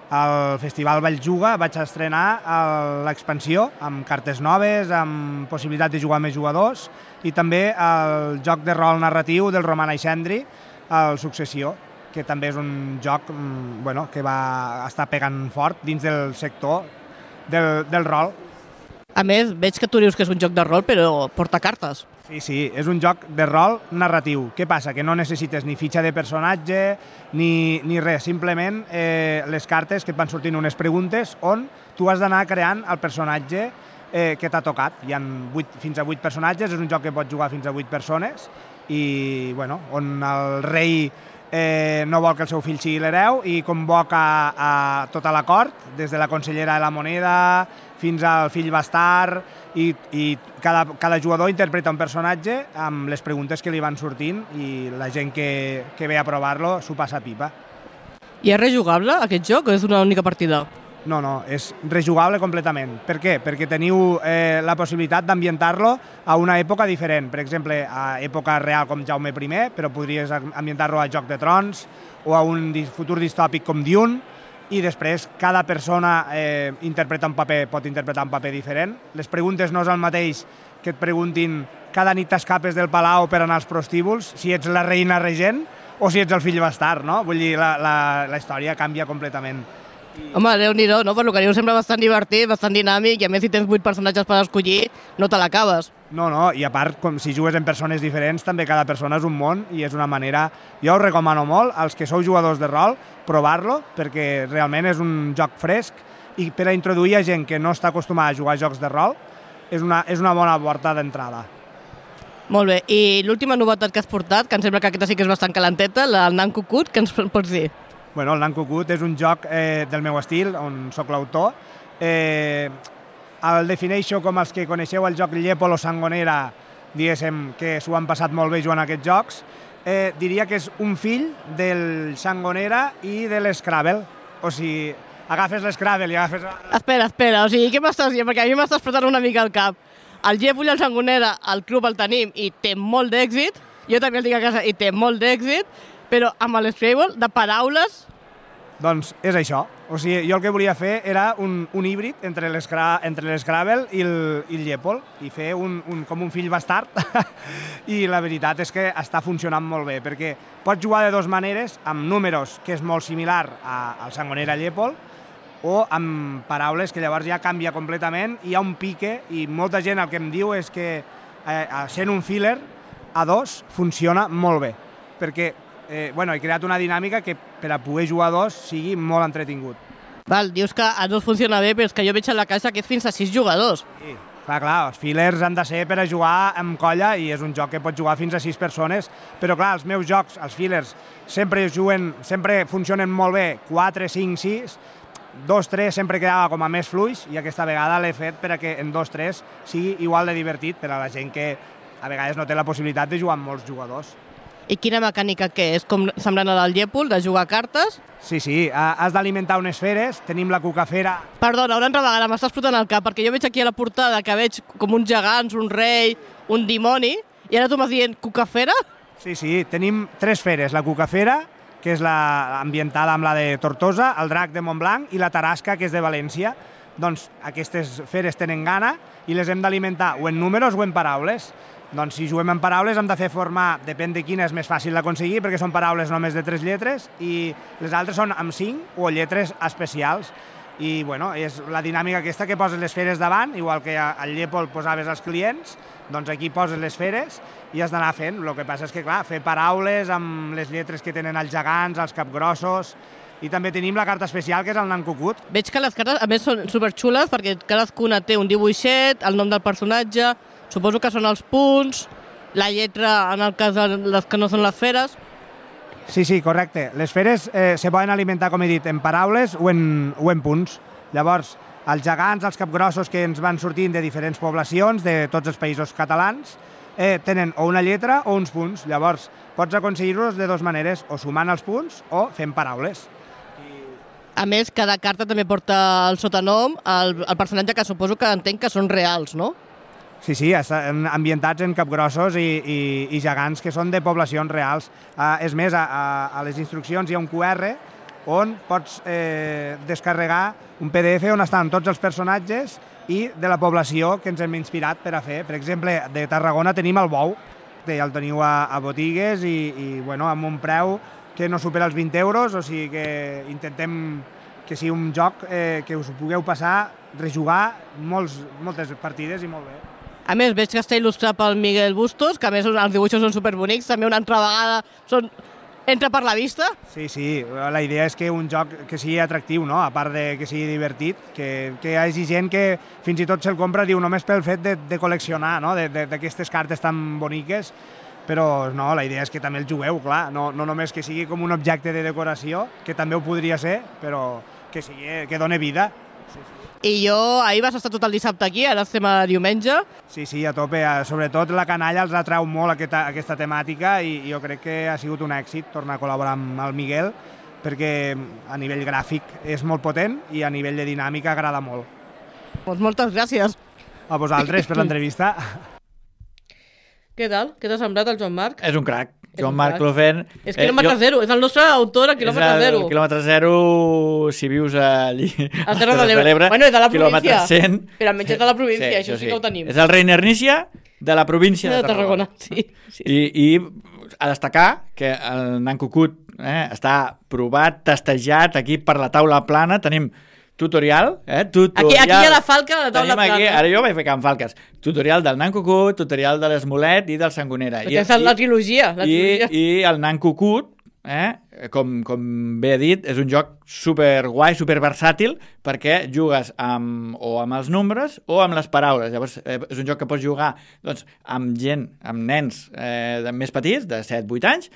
al Festival Valljuga vaig estrenar l'expansió amb cartes noves, amb possibilitat de jugar amb més jugadors i també el joc de rol narratiu del Roman Aixendri, el Successió, que també és un joc que va estar pegant fort dins del sector del rol. A més, veig que tu dius que és un joc de rol, però porta cartes. Sí, és un joc de rol narratiu. Què passa? Que no necessites ni fitxa de personatge ni res, simplement les cartes que et van sortint unes preguntes on tu has d'anar creant el personatge que t'ha tocat. Hi ha fins a 8 personatges, és un joc que pots jugar fins a 8 persones i on el rei no vol que el seu fill sigui l'hereu i convoca a tota la cort, des de la consellera de la moneda fins al fill bastard i cada jugador interpreta un personatge amb les preguntes que li van sortint i la gent que ve a provar-lo s'ho passa pipa. I és rejugable aquest joc o és una única partida? No, és rejugable completament. Per què? Perquè teniu la possibilitat d'ambientar-lo a una època diferent. Per exemple, a època real com Jaume I, però podries ambientar-lo a Joc de Trons o a un futur distòpic com Dune, i després cada persona pot interpretar un paper diferent. Les preguntes no és el mateix que et preguntin cada nit t'escapes del palau per anar als prostíbuls, si ets la reina regent o si ets el fill bastard, no? Vull dir, la història canvia completament. Home, Déu-n'hi-do, no? Per lo que diu sembla bastant divertit, bastant dinàmic, i a més si tens 8 personatges per escollir, no te l'acabes. No, i a part, si jugues en persones diferents, també cada persona és un món i és una manera... Jo us recomano molt, als que sou jugadors de rol, provar-lo, perquè realment és un joc fresc i per a introduir a gent que no està acostumada a jugar a jocs de rol, és una bona porta d'entrada. Molt bé, i l'última novetat que has portat, que em sembla que aquesta sí que és bastant calenteta, el Nan Cucut, què ens pots dir? Bueno, el Nan Cucut és un joc del meu estil, on sóc l'autor. El defineixo com els que coneixeu el joc Llepol o Sangonera, diguéssim que s'ho han passat molt bé jugant a aquests jocs. Diria que és un fill del Sangonera i de l'Scrabble. O sigui, agafes l'Scrabble i agafes... Espera, o sigui, què m'estàs dient? Perquè a mi m'estàs posant una mica al cap. El Llepol i el Sangonera, al club el tenim i té molt d'èxit. Jo també el tinc a casa i té molt d'èxit. Però amb l'Scrabble, de paraules, Doncs és això. O sigui, jo el que volia fer era un híbrid entre l'Scrabble i el Llepol i fer com un fill bastard i la veritat és que està funcionant molt bé perquè pots jugar de dues maneres, amb números, que és molt similar al Sangonera Llepol, o amb paraules que llavors ja canvia completament i hi ha un pique i molta gent el que em diu és que sent un filler a dos funciona molt bé perquè he creat una dinàmica que per a poder jugar a dos sigui molt entretingut. Val, dius que a dos funciona bé, però és que jo veig a la caixa que és fins a 6 jugadors. Sí, clar, els fillers han de ser per a jugar amb colla i és un joc que pot jugar fins a 6 persones, però clar, els meus jocs, els fillers, sempre funcionen molt bé 4, 5, 6, 2, 3 sempre quedava com a més fluix i aquesta vegada l'he fet per a que en 2, 3 sigui igual de divertit per a la gent que a vegades no té la possibilitat de jugar amb molts jugadors. I quina mecànica que és? Com semblant a del Llepol, de jugar a cartes? Sí, has d'alimentar unes feres, tenim la cucafera... Perdona, una altra vegada, m'estàs fotent el cap, perquè jo veig aquí a la portada que veig com uns gegants, un rei, un dimoni, i ara tu m'has dient cucafera? Sí, tenim 3 feres, la cucafera, que és ambientada amb la de Tortosa, el drac de Montblanc i la tarasca, que és de València. Doncs aquestes feres tenen gana i les hem d'alimentar o en números o en paraules. Doncs si juguem en paraules hem de fer formar, depèn de quina és més fàcil d'aconseguir, perquè són paraules només de 3 lletres i les altres són amb 5 o lletres especials. I és la dinàmica aquesta que poses les feres davant, igual que al Llepol posaves els clients, doncs aquí poses les feres i has d'anar fent. El que passa és que, clar, fer paraules amb les lletres que tenen els gegants, els capgrossos, i també tenim la carta especial, que és el nan cucut. Veig que les cartes, a més, són superxules perquè cadascuna té un dibuixet, el nom del personatge, suposo que són els punts, la lletra en el cas de les que no són les feres. Sí, correcte. Les feres se poden alimentar, com he dit, en paraules o en punts. Llavors, els gegants, els capgrossos que ens van sortint de diferents poblacions, de tots els països catalans, tenen o una lletra o uns punts. Llavors, pots aconseguir-los de dues maneres, o sumant els punts o fent paraules. A més, cada carta també porta el sotanom, el personatge que suposo que entenc que són reals, no? Sí, estan ambientats en capgrossos i gegants que són de poblacions reals. És més, a les instruccions hi ha un QR on pots descarregar un PDF on estan tots els personatges i de la població que ens hem inspirat per a fer. Per exemple, de Tarragona tenim el bou, que ja el teniu a botigues i amb un preu que no supera els 20 euros, o sigui que intentem que sigui un joc que us ho pugueu passar, rejugar moltes partides i molt bé. A més, veig que està il·lustrat pel Miguel Bustos, que a més els dibuixos són superbonics, també una altra vegada entra per la vista. Sí, la idea és que un joc que sigui atractiu, no? A part de que sigui divertit, que hi hagi gent que fins i tot se'l compra, diu, només pel fet de col·leccionar, no? D'aquestes cartes tan boniques, però no, la idea és que també el jugueu, clar, no només que sigui com un objecte de decoració, que també ho podria ser, però que doni vida. I ahir vas estar tot el dissabte aquí, ara estem a diumenge. Sí, a tope. Sobretot la canalla els atrau molt aquesta temàtica i jo crec que ha sigut un èxit tornar a col·laborar amb el Miguel perquè a nivell gràfic és molt potent i a nivell de dinàmica agrada molt. Doncs moltes gràcies. A vosaltres per l'entrevista. Què tal? Què t'ha semblat el Joan Marc? És un crac. Joan Marc Clofen... És quilòmetre zero, és el nostre autor a quilòmetre zero. És el quilòmetre zero, si vius allí... A Terra de l'Ebre. Bueno, és de la província. 100. Però almenys és de la província, això sí que ho tenim. És el Reiner Nícia de la província de Tarragona. Sí. I a destacar que el nan cucut està provat, testejat, aquí per la taula plana, tenim tutorial. Aquí hi ha la falca a la taula plana. Ara jo vaig fer amb falques. Tutorial del nan cucut, tutorial de l'esmolet i del sangonera. Aquesta és la trilogia. I el nan cucut, com bé he dit, és un joc superguai, superversàtil, perquè jugues amb els nombres o amb les paraules. Llavors, és un joc que pots jugar amb gent, amb nens més petits, de 7-8 anys,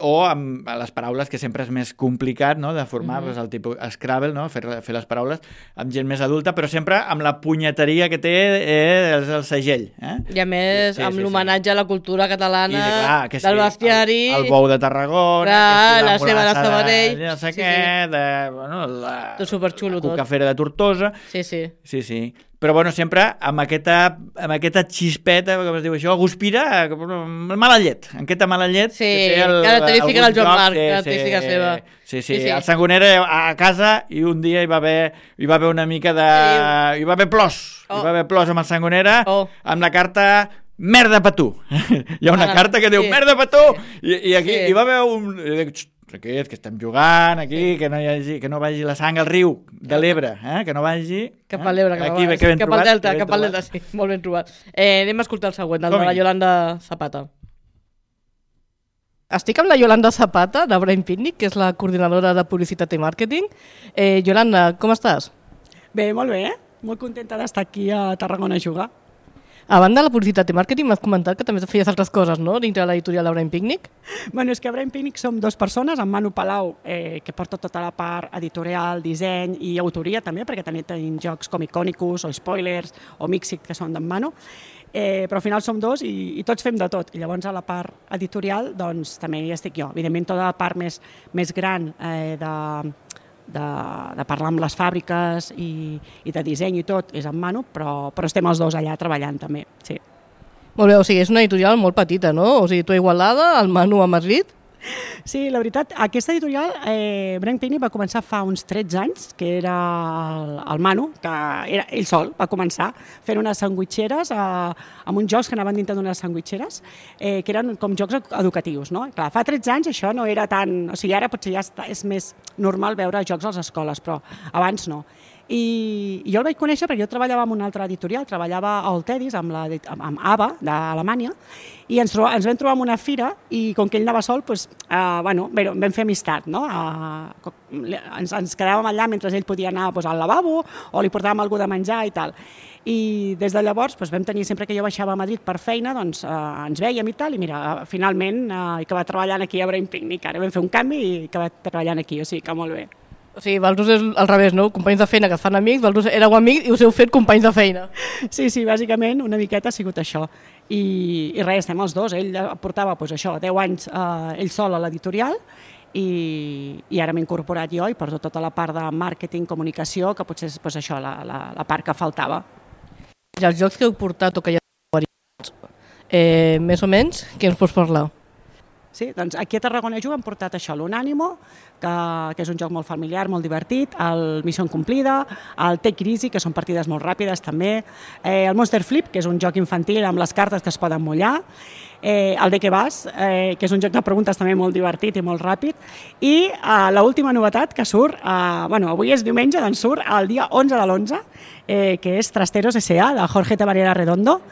o amb les paraules, que sempre és més complicat, no?, de formar el tipus Scrabble, no?, fer les paraules amb gent més adulta, però sempre amb la punyeteria que té el segell. I a més, amb l'homenatge a la cultura catalana, del bestiari... El bou de Tarragona, la seva de Sabadell. No sé què, de superxulo tot. Cucafera de Tortosa. Sí. Però, bueno, sempre amb aquesta xispeta, com es diu això, guspira, mala llet, aquesta mala llet. Sí, característica del Joan Marc, característica seva. Sí. El Sangonera a casa i un dia hi va haver una mica de... Hi va haver plors. Hi va haver plors amb el Sangonera, amb la carta merda per tu. Hi ha una carta que diu merda per tu. I aquí hi va haver un... Aquest, que estem jugant aquí, que no vagi la sang al riu de l'Ebre, que no vagi... Cap a l'Ebre, cap al Delta, sí, molt ben trobat. Anem a escoltar el següent, el de la Yolanda Zapata. Estic amb la Yolanda Zapata, de Brain Picnic, que és la coordinadora de publicitat i màrqueting. Yolanda, com estàs? Bé, molt bé, molt contenta d'estar aquí a Tarragona a jugar. A banda de la publicitat i màrqueting, m'has comentat que també feies altres coses, no?, dintre de l'editorial de Brain Picnic. Bueno, és que a Brain Picnic som 2 persones, en Manu Palau, que porta tota la part editorial, disseny i autoria també, perquè també tenim jocs com Iconicus o Spoilers o Mixit, que són d'en Manu, però al final som 2 i tots fem de tot. I llavors a la part editorial doncs també hi estic jo. Evidentment tota la part més gran de parlar amb les fàbriques i de disseny i tot és en Manu, però estem els 2 allà treballant també, sí. Molt bé, o sigui, és una editorial molt petita, no? O sigui, tu a Igualada, el Manu a Madrid... Sí, la veritat, aquesta editorial, Brain Picnic va començar fa uns 13 anys, que era el Manu, que era ell sol, va començar fent unes sandwitxeres amb uns jocs que anaven dintre d'unes sandwitxeres, que eren com jocs educatius, no? Clar, fa 13 anys això no era tan... O sigui, ara potser ja és més normal veure jocs a les escoles, però abans no. I jo el vaig conèixer perquè jo treballava en una altra editorial, treballava al Tedis amb ABA d'Alemanya, i ens vam trobar en una fira i com que ell anava sol, vam fer amistat, no? Ens quedàvem allà mentre ell podia anar al lavabo o li portàvem alguna de menjar i tal. I des de llavors vam tenir, sempre que jo baixava a Madrid per feina, doncs ens vèiem i tal, i mira, finalment he acabat treballant aquí a Brain Picnic, ara vam fer un canvi i he acabat treballant aquí, o sigui que molt bé. O sigui, vosaltres és al revés, no? Companys de feina que es fan amics, vosaltres éreu amics i us heu fet companys de feina. Sí, bàsicament una miqueta ha sigut això. I res, estem els 2. Ell portava 10 anys ell sol a l'editorial i ara m'he incorporat jo i porto tota la part de màrqueting, comunicació, que potser és això, la part que faltava. I els jocs que heu portat o que ja heu variat, més o menys, què ens pots parlar? Sí, doncs aquí a Tarragona hem portat això, l'Unànimo, que és un joc molt familiar, molt divertit, el Missió Incomplida, el Take It Easy, que són partides molt ràpides també, el Monster Flip, que és un joc infantil amb les cartes que es poden mullar, el De Què Vas, que és un joc de preguntes també molt divertit i molt ràpid, i l'última novetat que surt, avui és diumenge, doncs surt el dia 11 de l'11, que és Trasteros S.A., de Jorge Tabarera Redondo,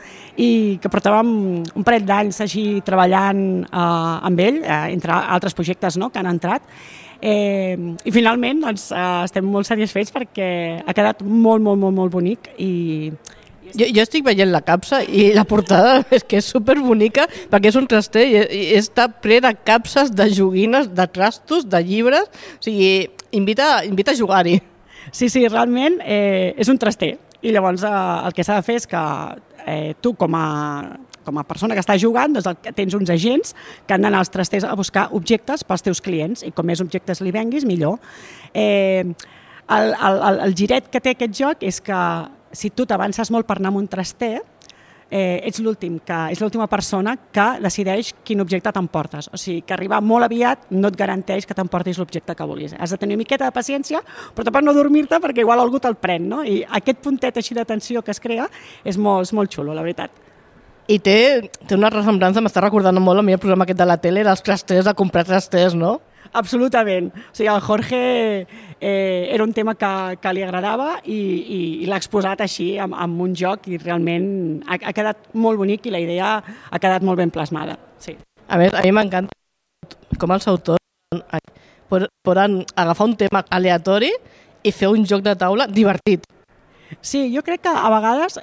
i que portàvem un parell d'anys així treballant amb ell, entre altres projectes que han entrat, i finalment estem molt satisfets perquè ha quedat molt bonic i... Jo estic veient la capsa i la portada és que és superbonica perquè és un traster i està ple de capses, de joguines, de trastos, de llibres, o sigui, invita a jugar-hi. Sí, realment és un traster i llavors el que s'ha de fer és que tu com a persona que està jugant doncs tens uns agents que han d'anar als trasters a buscar objectes pels teus clients i com més objectes li venguis millor. El giret que té aquest joc és que si tu t'avances molt per anar amb un traster, ets l'última persona que decideix quin objecte t'emportes. O sigui, que arribar molt aviat no et garanteix que t'emportis l'objecte que vulguis. Has de tenir una miqueta de paciència, però tampoc no dormir-te perquè igual algú te'l pren, no? I aquest puntet així de tensió que es crea és molt xulo, la veritat. I té una ressemblança, m'està recordant molt a mi el programa aquest de la tele, dels trasters, de comprar trasters, no? Absolutament. O sigui, el Jorge era un tema que li agradava i l'ha exposat així amb un joc i realment ha quedat molt bonic i la idea ha quedat molt ben plasmada. Sí. A més, a mi m'encanta com els autors poden agafar un tema aleatori i fer un joc de taula divertit. Sí, jo crec que a vegades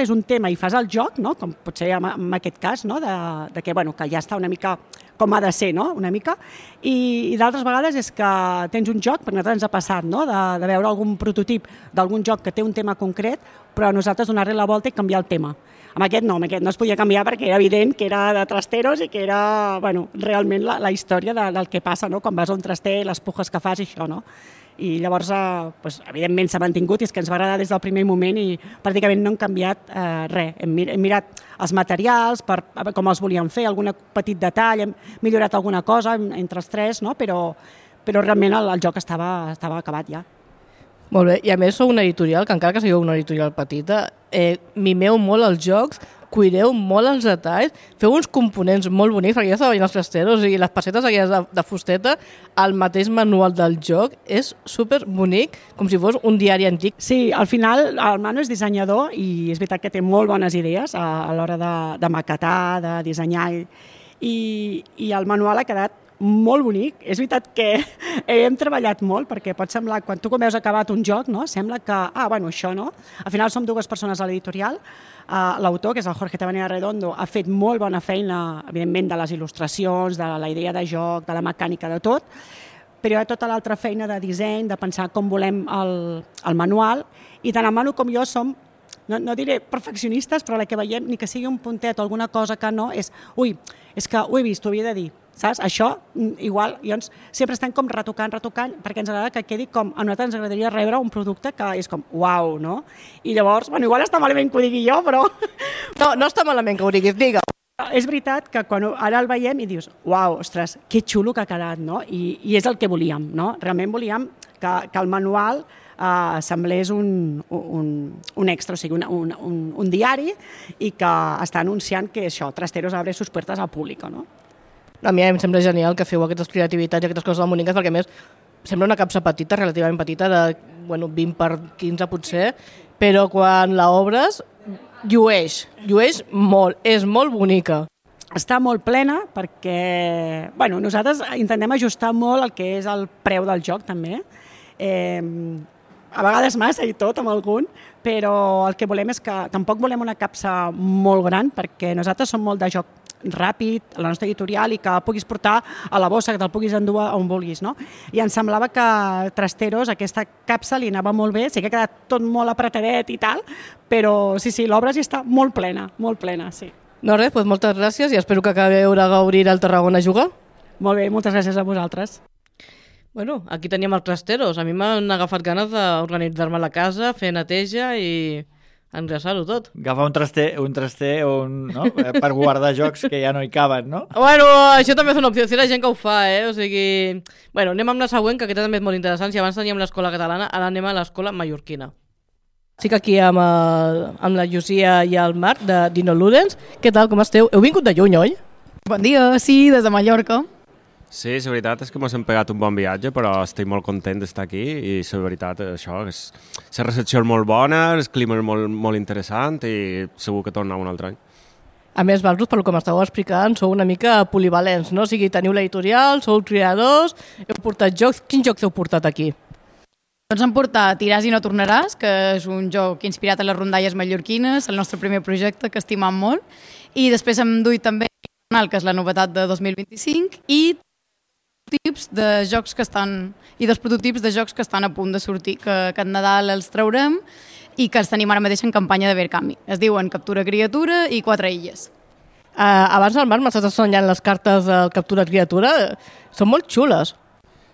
és un tema i fas el joc, no? Com pot ser en aquest cas, no? que ja està una mica com ha de ser, no?, una mica. I d'altres vegades és que tens un joc, perquè a nosaltres ens ha passat, no?, de veure algun prototip d'algun joc que té un tema concret, però a nosaltres donar-li la volta i canviar el tema. Amb aquest no es podia canviar perquè era evident que era de trasteros i que era, bueno, realment la història del que passa, no?, quan vas a un traster, les pujes que fas i això, no? I llavors, pues, evidentment s'ha mantingut i és que ens va agradar des del primer moment i pràcticament no hem canviat res. Hem mirat els materials, com els volíem fer, algun petit detall, hem millorat alguna cosa entre els tres, no?, però realment el joc estava acabat ja. Molt bé, i a més sou una editorial, que encara que sigueu una editorial petita, mimeu molt els jocs, cuideu molt els detalls, feu uns components molt bonics, perquè ja estava veient els trasteros i les pessetes aquelles de fusteta, el mateix manual del joc és super bonic, com si fos un diari antic. Sí, al final el Manu és dissenyador i és veritat que té molt bones idees a l'hora de maquetar, de dissenyar, i el manual ha quedat molt bonic. És veritat que hem treballat molt, perquè pot semblar, quan tu veus acabat un joc, no?, sembla que, bueno, això no. Al final som dues persones a l'editorial. L'autor, que és el Jorge Tabanera Redondo, ha fet molt bona feina, evidentment, de les il·lustracions, de la idea de joc, de la mecànica, de tot, però hi ha tota l'altra feina de disseny, de pensar com volem el manual, i tant el Manu com jo som, no diré perfeccionistes, però la que veiem, ni que sigui un puntet o alguna cosa que no, és que ho he vist, ho havia de dir. Saps? Això, igual, llavors, sempre estem com retocant, perquè ens agrada que quedi com, a nosaltres ens agradaria rebre un producte que és com, uau, no? I llavors, bueno, igual està malament que ho digui jo, però... No està malament que ho diguis, digue. És veritat que quan ara el veiem i dius, uau, ostres, que xulo que ha quedat, no? I és el que volíem, no? Realment volíem que el manual semblés un extra, o sigui, un diari, i que està anunciant que això, Trasteros abre sus puertas al públic, no? A mi em sembla genial que feu aquestes creativitats i aquestes coses molt boniques, perquè a més sembla una capsa petita, relativament petita, de 20 per 15 potser, però quan l'obres llueix molt, és molt bonica. Està molt plena perquè nosaltres intentem ajustar molt el que és el preu del joc també. A vegades massa i tot amb algun, però el que volem és que tampoc volem una capsa molt gran, perquè nosaltres som molt de joc ràpid, a la nostra editorial, i que puguis portar a la bossa, que te'l puguis endur on vulguis, no? I ens semblava que Trasteros, aquesta capsa, li anava molt bé, sí que ha quedat tot molt apretadet i tal, però sí, l'obra sí està molt plena, sí. No res, doncs moltes gràcies i espero que acabeu de gaudir al Tarragona a jugar. Molt bé, moltes gràcies a vosaltres. Bueno, aquí teníem els Trasteros. A mi m'han agafat ganes d'organitzar-me a la casa, fer neteja i enllaçar-ho tot. Agafar un traster no? Per guardar jocs que ja no hi caben, no? Bueno, això també és una opció. Si la gent que ho fa, O sigui... Bueno, anem amb la següent, que aquesta també és molt interessant. Si abans teníem l'escola catalana, ara anem a l'escola mallorquina. Estic aquí amb la Llucia i el Marc de Dino Ludens. Què tal, com esteu? Heu vingut de lluny, oi? Bon dia, sí, des de Mallorca. Sí, la veritat és que ens hem pegat un bon viatge, però estic molt content d'estar aquí i la veritat això és... La recepció és molt bona, el clima és molt interessant i segur que tornar un altre any. A més, vosaltres, pel que m'estàveu explicant, sou una mica polivalents, no? O sigui, teniu l'editorial, sou creadors, heu portat jocs. Quins jocs heu portat aquí? Doncs hem portat Tiràs i no tornaràs, que és un joc inspirat en les rondalles mallorquines, el nostre primer projecte, que estimam molt, i després hem duit també que és la novetat de 2025, i tips de jocs que estan i dos prototips de jocs que estan a punt de sortir, que aquest Nadal els traurem i que els tenim ara mateix en campanya de Verkami. Es diuen Captura Criatura i 4 illes. Abans el Marc m'estàs ensenyant les cartes del Captura Criatura. Són molt xules.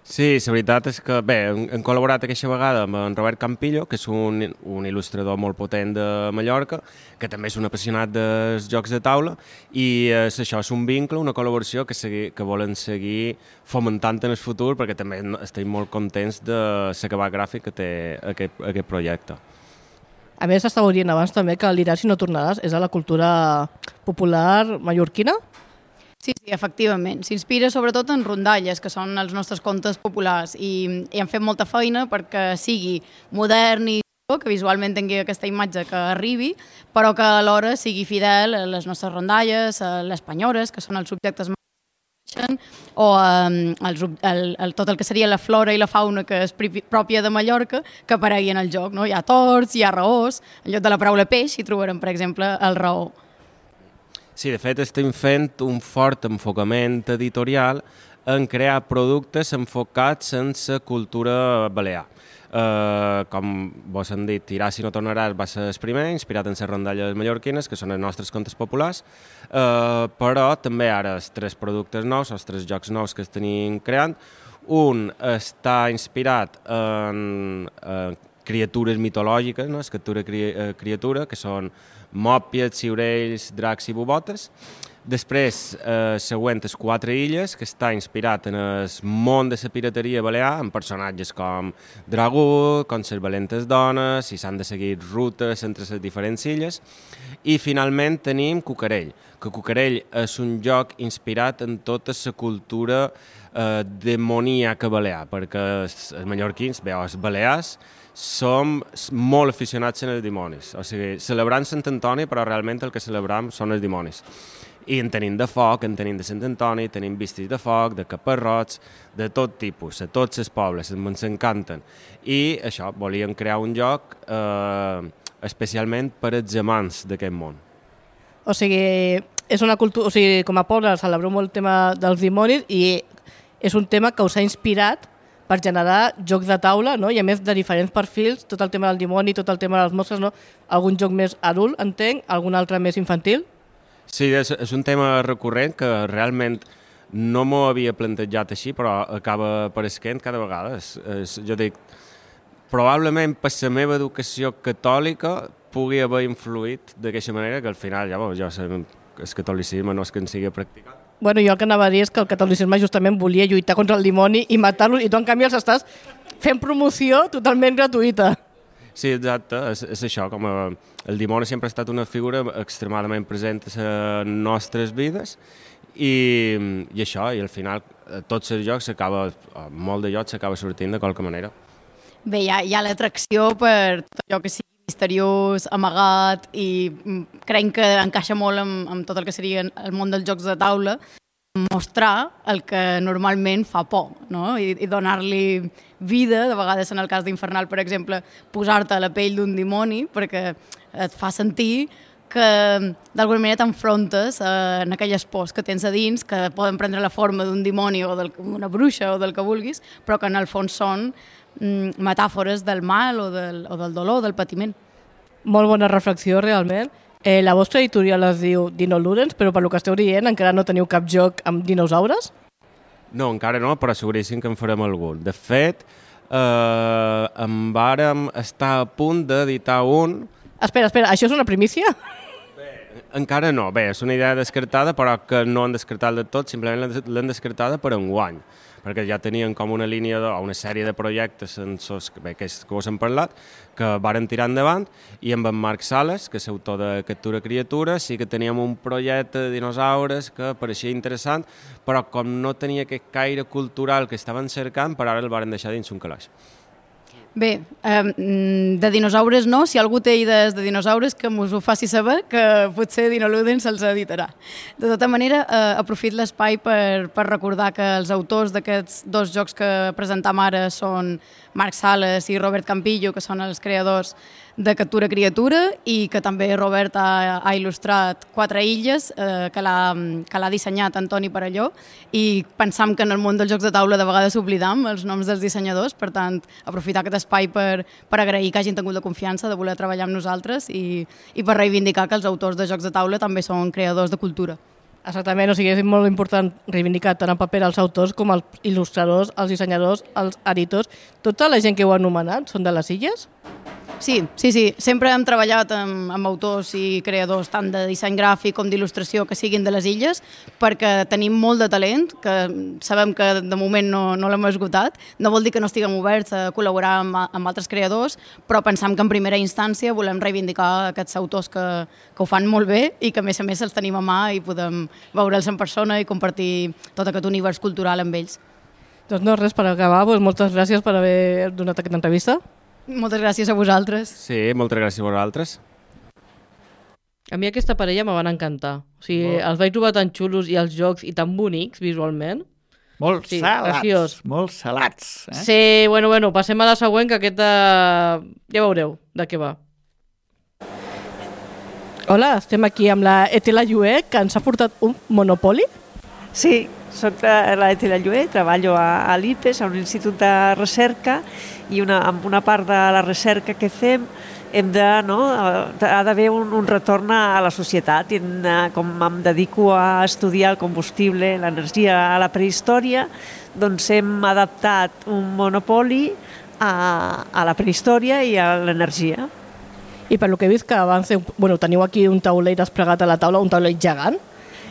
Sí, la veritat és que, bé, hem col·laborat aquesta vegada amb en Robert Campillo, que és un il·lustrador molt potent de Mallorca, que també és un apassionat dels jocs de taula, i això és un vincle, una col·laboració que volen seguir fomentant en el futur, perquè també estem molt contents de l'acabat gràfic que té aquest projecte. A més, estàveu dient abans també que l'Iràs i no tornaràs és a la cultura popular mallorquina? Sí, efectivament. S'inspira sobretot en rondalles, que són els nostres contes populars, i hem fet molta feina perquè sigui modern i que visualment tingui aquesta imatge que arribi, però que alhora sigui fidel a les nostres rondalles, a les penyores, que són els subjectes o tot el que seria la flora i la fauna que és pròpia de Mallorca, que aparegui en el joc. No? Hi ha torts, hi ha raós, en lloc de la paraula peix hi trobarem, per exemple, el raó. Sí, de fet estem fent un fort enfocament editorial en crear productes enfocats en la cultura balear. Com vos han dit, Tiràs si no tornaràs va ser el primer, inspirat en les rondalles mallorquines, que són els nostres contes populars, però també ara els 3 productes nous, els 3 jocs nous que estem creant. Un està inspirat en criatures mitològiques, no? Escriptura criatura, que són mòpies, ciurells, dracs i bubotes. Després, següent, les 4 illes, que està inspirat en el món de la pirateria balear, amb personatges com Dragú, com les valentes dones, i s'han de seguir rutes entre les diferents illes. I finalment tenim Cucarell, que Cucarell és un joc inspirat en tota la cultura demoníaca balear, perquè els mallorquins, els balears, som molt aficionats en els dimonis. O sigui, celebrant Sant Antoni, però realment el que celebram són els dimonis. I en tenim de foc, en tenim de Sant Antoni, tenim vistes de foc, de caparrots, de tot tipus, a tots els pobles, ens encanten. I això, volíem crear un joc especialment per als amants d'aquest món. O sigui, és una cultura, o sigui, com a poble celebreu molt el tema dels dimonis i és un tema que us ha inspirat per generar jocs de taula, no? I a més de diferents perfils, tot el tema del dimoni, tot el tema de les mosques, no? Algun joc més adult, entenc, algun altre més infantil? Sí, és un tema recurrent que realment no m'ho havia plantejat així, però acaba apareixent cada vegada. Jo dic, probablement per la meva educació catòlica pugui haver influït d'aquesta manera, que al final ja sabem que el catolicisme no és que en sigui practicat. Bueno, jo el que anava a dir és que el catolicisme justament volia lluitar contra el dimoni i matar-lo, i tu en canvi els estàs fent promoció totalment gratuïta. Sí, exacte, és això, com el dimoni sempre ha estat una figura extremadament present a les nostres vides i això, i al final tots els jocs molt de jocs s'acaba sortint de qualque manera. Bé, hi ha l'atracció per tot allò que sigui misteriós, amagat, i crec que encaixa molt amb tot el que seria el món dels jocs de taula, mostrar el que normalment fa por, no? I donar-li vida, de vegades en el cas d'Infernal, per exemple, posar-te a la pell d'un dimoni, perquè et fa sentir que d'alguna manera t'enfrontes en aquelles pors que tens a dins, que poden prendre la forma d'un dimoni o d'una bruixa o del que vulguis, però que en el fons són metàfores del mal o del dolor, del patiment. Molt bona reflexió, realment. La vostra editorial es diu Dino Ludens, però per lo que esteu dient encara no teniu cap joc amb dinosaures? No, encara no, però seguríssim que en farem algun. De fet, en vàrem estar a punt d'editar un... Espera, això és una primícia? Encara no. Bé, és una idea descartada, però que no han descartat de tot, simplement l'han descartada per enguany, perquè ja tenien com una línia o una sèrie de projectes que us hem parlat, que varen tirar endavant, i amb en Marc Sales, que és autor de Captura Criatura, sí que teníem un projecte de dinosaures que pareixia interessant, però com no tenia aquest caire cultural que estaven cercant, per ara el varen deixar dins un calaix. Bé, de dinosaures no, si algú té idees de dinosaures que us ho faci saber, que potser Dino Ludens se'ls editarà. De tota manera, aprofit l'espai per recordar que els autors d'aquests 2 jocs que presentam ara són Marc Sales i Robert Campillo, que són els creadors de Captura Criatura, i que també Robert ha il·lustrat 4 illes que l'ha dissenyat Antoni Parelló, i pensam que en el món dels jocs de taula de vegades oblidam els noms dels dissenyadors, per tant, aprofitar aquest espai per agrair que hagin tingut la confiança de voler treballar amb nosaltres i per reivindicar que els autors de jocs de taula també són creadors de cultura. Exactament, o sigui, és molt important reivindicar tant en paper els autors com els il·lustradors, els dissenyadors, els editors. Tota la gent que ho ha anomenat són de les illes? Sí. Sempre hem treballat amb autors i creadors tant de disseny gràfic com d'il·lustració que siguin de les illes, perquè tenim molt de talent, que sabem que de moment no l'hem esgotat. No vol dir que no estiguem oberts a col·laborar amb altres creadors, però pensam que en primera instància volem reivindicar aquests autors que ho fan molt bé i que a més els tenim a mà i podem veure'ls en persona i compartir tot aquest univers cultural amb ells. Doncs no, res, per acabar, moltes gràcies per haver donat aquesta entrevista. Moltes gràcies a vosaltres. Sí, moltes gràcies a vosaltres. A mi aquesta parella me van encantar. O sigui, els vaig trobar tan xulos i els jocs i tan bonics visualment. Molt salats. Sí, bueno, passem a la següent, que aquesta ja veureu de què va. Hola, estem aquí amb la Etela Llué, que ens ha portat un Monopoly. Sí, soc la Etela Llué, treballo a l'IPES, a un institut de recerca, i amb una part de la recerca que fem ha d'haver un retorn a la societat. Com em dedico a estudiar el combustible, l'energia a la prehistòria, doncs hem adaptat un Monopoly a la prehistòria i a l'energia. I per lo que he vist que teniu aquí un taulell desplegat a la taula, un taulell gegant.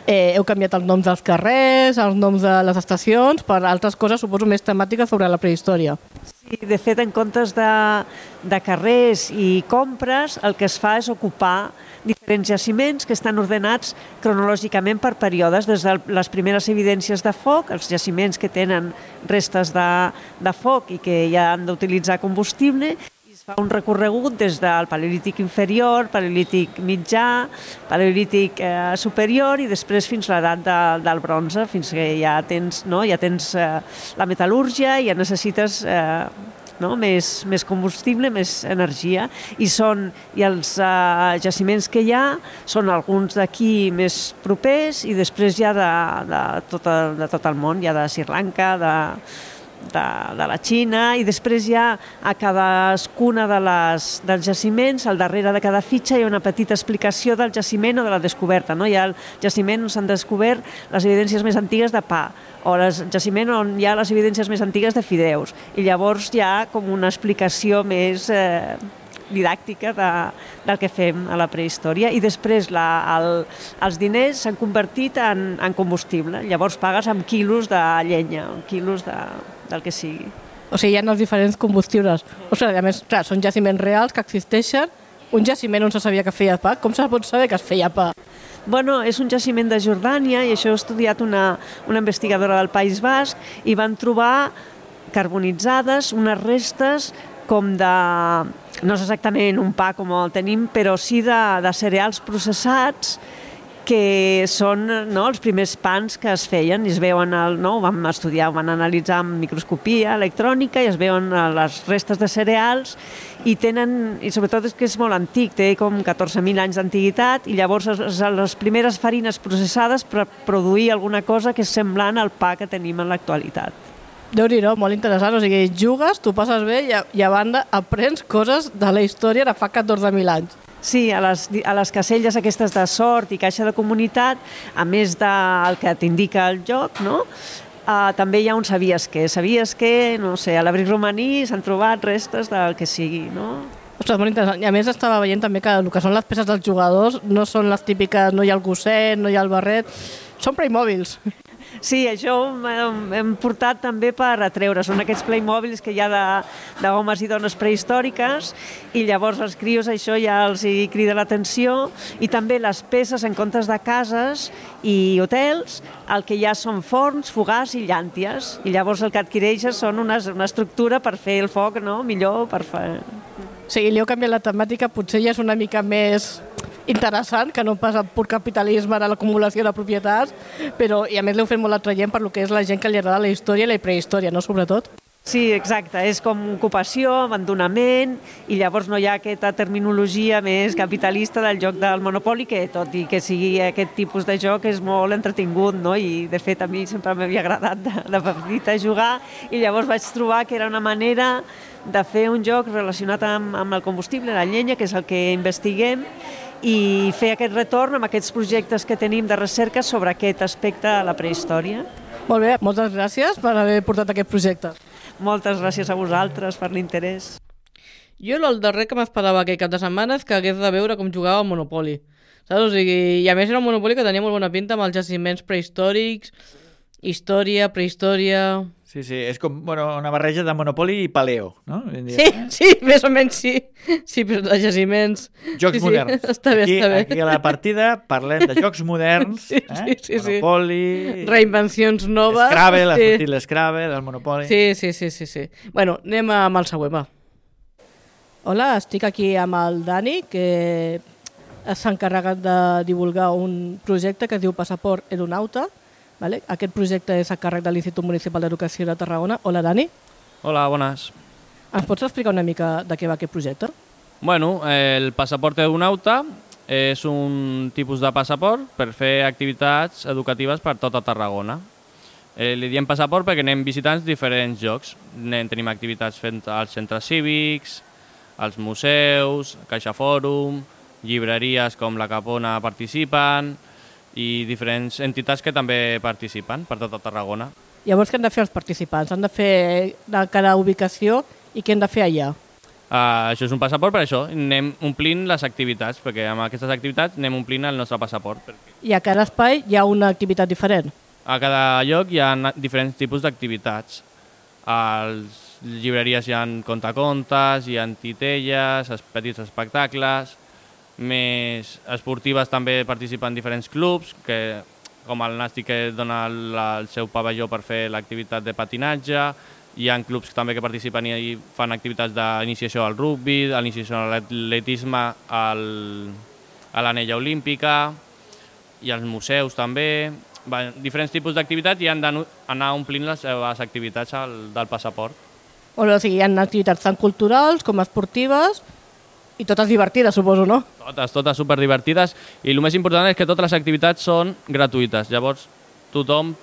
Heu canviat els noms dels carrers, els noms de les estacions, per altres coses, suposo, més temàtiques sobre la prehistòria. Sí, de fet, en comptes de carrers i compres, el que es fa és ocupar diferents jaciments que estan ordenats cronològicament per períodes, des de les primeres evidències de foc, els jaciments que tenen restes de foc i que ja han d'utilitzar combustible, i es fa un recorregut des del paleolític inferior, paleolític mitjà, paleolític superior i després fins a l'edat del bronze, fins que ja tens la metal·lúrgia i ja necessites més combustible, més energia, i els jaciments que hi ha són alguns d'aquí més propers i després ja de tot el món, ja de Sri Lanka, de la Xina, i després ja a cadascuna dels jaciments, al darrere de cada fitxa hi ha una petita explicació del jaciment o de la descoberta. Hi ha el jaciment on s'han descobert les evidències més antigues de pa, o el jaciment on hi ha les evidències més antigues de fideus, i llavors hi ha com una explicació més didàctica del que fem a la prehistòria, i després els diners s'han convertit en combustible. Llavors pagues amb quilos de llenya, quilos del que sigui. O sigui, hi ha els diferents combustibles. O sigui, a més, clar, són jaciments reals que existeixen. Un jaciment on se sabia que feia pa. Com se pot saber que es feia pa? Bueno, és un jaciment de Jordània, i això ho ha estudiat una investigadora del País Basc, i van trobar carbonitzades unes restes com de, no és exactament un pa com el tenim, però sí de cereals processats, que són els primers pans que es feien, i es veuen, ho vam estudiar, ho van analitzar amb microscopia electrònica, i es veuen les restes de cereals, i sobretot és que és molt antic, té com 14.000 anys d'antiguitat, i llavors les primeres farines processades per produir alguna cosa que és semblant al pa que tenim en l'actualitat. Déu-n'hi-do, molt interessant. O sigui, jugues, tu passes bé i a banda aprens coses de la història de fa 14.000 anys. Sí, a les caselles aquestes de sort i caixa de comunitat, a més del que t'indica el joc, també hi ha un sabies què, no sé, a l'abric romaní s'han trobat restes del que sigui, no? Ostres, molt interessant. I a més estava veient també que el que són les peces dels jugadors no són les típiques, no hi ha el gosset, no hi ha el barret, són Playmobils. Sí, això hem portat també per atreure. Són aquests Playmobils que hi ha d'homes i dones prehistòriques, i llavors els crios això ja els crida l'atenció, i també les peces en comptes de cases i hotels, el que hi ha són forns, fogars i llànties, i llavors el que adquireixes són una estructura per fer el foc millor. Sí, li heu canviat la temàtica, potser ja és una mica més interessant, que no pas el pur capitalisme de l'acumulació de propietats, però i a més l'heu fet molt atraient per lo que és la gent que li agrada la història i la prehistòria, no? Sobretot. Sí, exacte, és com ocupació, abandonament, i llavors no hi ha aquesta terminologia més capitalista del joc del Monopoly, que tot i que sigui aquest tipus de joc és molt entretingut, no? I de fet a mi sempre m'havia agradat de petita jugar, i llavors vaig trobar que era una manera de fer un joc relacionat amb el combustible, la llenya, que és el que investiguem, i fer aquest retorn amb aquests projectes que tenim de recerca sobre aquest aspecte de la prehistòria. Molt bé, moltes gràcies per haver portat aquest projecte. Moltes gràcies a vosaltres per l'interès. Jo el darrer que m'esperava aquell cap de setmana és que hagués de veure com jugava al Monopoly. Saps? O sigui, i a més era un Monopoly que tenia molt bona pinta amb els jaciments prehistòrics, història, prehistòria... Sí, és com una barreja de Monopoly i Paleo, no? Sí, més o menys sí. Sí, però de jaciments... Jocs moderns. Està bé. Aquí a la partida parlem de jocs moderns, sí. Monopoly... Reinvencions noves. Scrabble, ha sortit l'Scrabble, el Monopoly... Sí. Bueno, anem amb el següent, va. Hola, estic aquí amb el Dani, que s'ha encarregat de divulgar un projecte que es diu Passaport Aeronauta. Vale? Aquest projecte és a càrrec de l'Institut Municipal d'Educació de Tarragona. Hola, Dani. Hola, bones. Ens pots explicar una mica de què va aquest projecte? Bueno, el Passaport Aeronauta és un tipus de passaport per fer activitats educatives per tota Tarragona. Li diem passaport perquè anem visitant diferents llocs. Tenim activitats fent als centres cívics, als museus, Caixa Fòrum, llibreries com la Capona participen i diferents entitats que també participen per tota Tarragona. Llavors, què han de fer els participants? Han de fer de cada ubicació i què han de fer allà? Això és un passaport, per això anem omplint les activitats, perquè amb aquestes activitats anem omplint el nostre passaport. I a cada espai hi ha una activitat diferent? A cada lloc hi ha diferents tipus d'activitats. A les llibreries hi ha contacontes, hi ha titelles, petits espectacles, més esportives també participen diferents clubs, com el Nàstic que dona el seu pavelló per fer l'activitat de patinatge, hi ha clubs també que participen i fan activitats d'iniciació al rugbi, d'iniciació a l'atletisme, a l'anella olímpica, i als museus també. Diferents tipus d'activitats i han d'anar omplint les seves activitats del passaport. O sigui, hi ha activitats tant culturals com esportives i totes divertides, suposo, no? Totes superdivertides, i el més important és que totes les activitats són gratuïtes. Llavors, tothom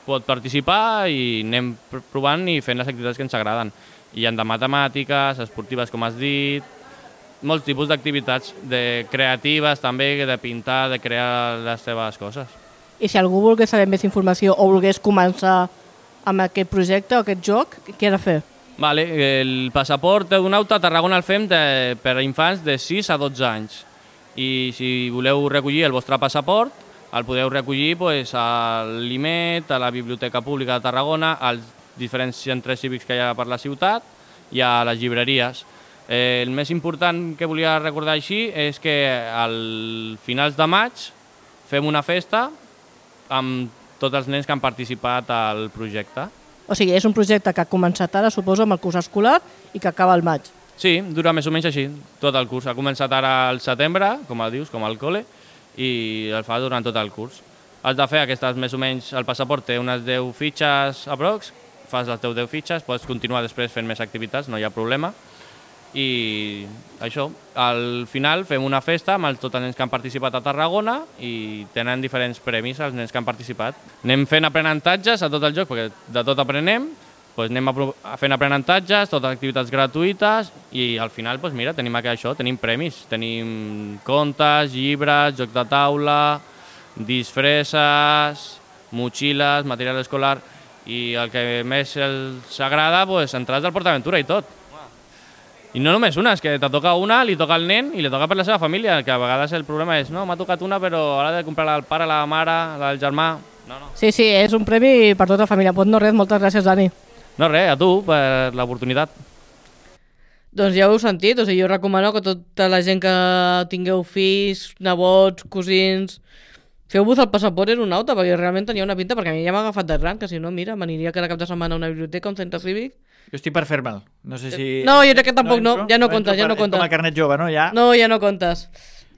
pot participar i anem provant i fent les activitats que ens agraden. Hi ha de matemàtiques, esportives, com has dit, molts tipus d'activitats, creatives també, de pintar, de crear les teves coses. I si algú volgués saber més informació o volgués començar amb aquest projecte o aquest joc, què ha de fer? El passaport d'Eudonauta a Tarragona el fem per a infants de 6 a 12 anys. I si voleu recollir el vostre passaport, el podeu recollir a l'IMET, a la Biblioteca Pública de Tarragona, als diferents centres cívics que hi ha per la ciutat i a les llibreries. El més important que volia recordar així és que al finals de maig fem una festa amb tots els nens que han participat al projecte. O sigui, és un projecte que ha començat ara, suposo, amb el curs escolar i que acaba al maig. Sí, dura més o menys així, tot el curs. Ha començat ara al setembre, com dius, com al col·le, i el fa durant tot el curs. Has de fer aquestes, més o menys, el passaport té unes 10 fitxes aprox, fas les teus 10 fitxes, pots continuar després fent més activitats, no hi ha problema. I això, al final fem una festa amb tots els nens que han participat a Tarragona i tenen diferents premis els nens que han participat. Anem fent aprenentatges a tot el joc, perquè de tot aprenem, anem fent aprenentatges, totes activitats gratuïtes i al final tenim això, tenim premis, tenim contes, llibres, jocs de taula, disfresses, motxilles, material escolar i el que més els agrada, entrades del PortAventura i tot. I no només una, és que te toca una, li toca al nen i li toca per la seva família, que a vegades el problema és no, m'ha tocat una però ara he de comprar-la al pare, la mare, la del germà. No. Sí, és un premi per tota la família. No res, moltes gràcies, Dani. No res, a tu per l'oportunitat. Doncs ja ho heu sentit, jo recomano que tota la gent que tingueu fills, nebots, cosins, feu-vos el passaport aeronauta, perquè realment tenia una pinta, perquè a mi ja m'ha agafat de gran, que si no, mira, m'aniria cada cap de setmana a una biblioteca, a un centre cívic. Jo estic per fer-me'l. No sé si... No, jo crec que tampoc no, ja no comptes. És com el carnet jove, no? No, ja no comptes.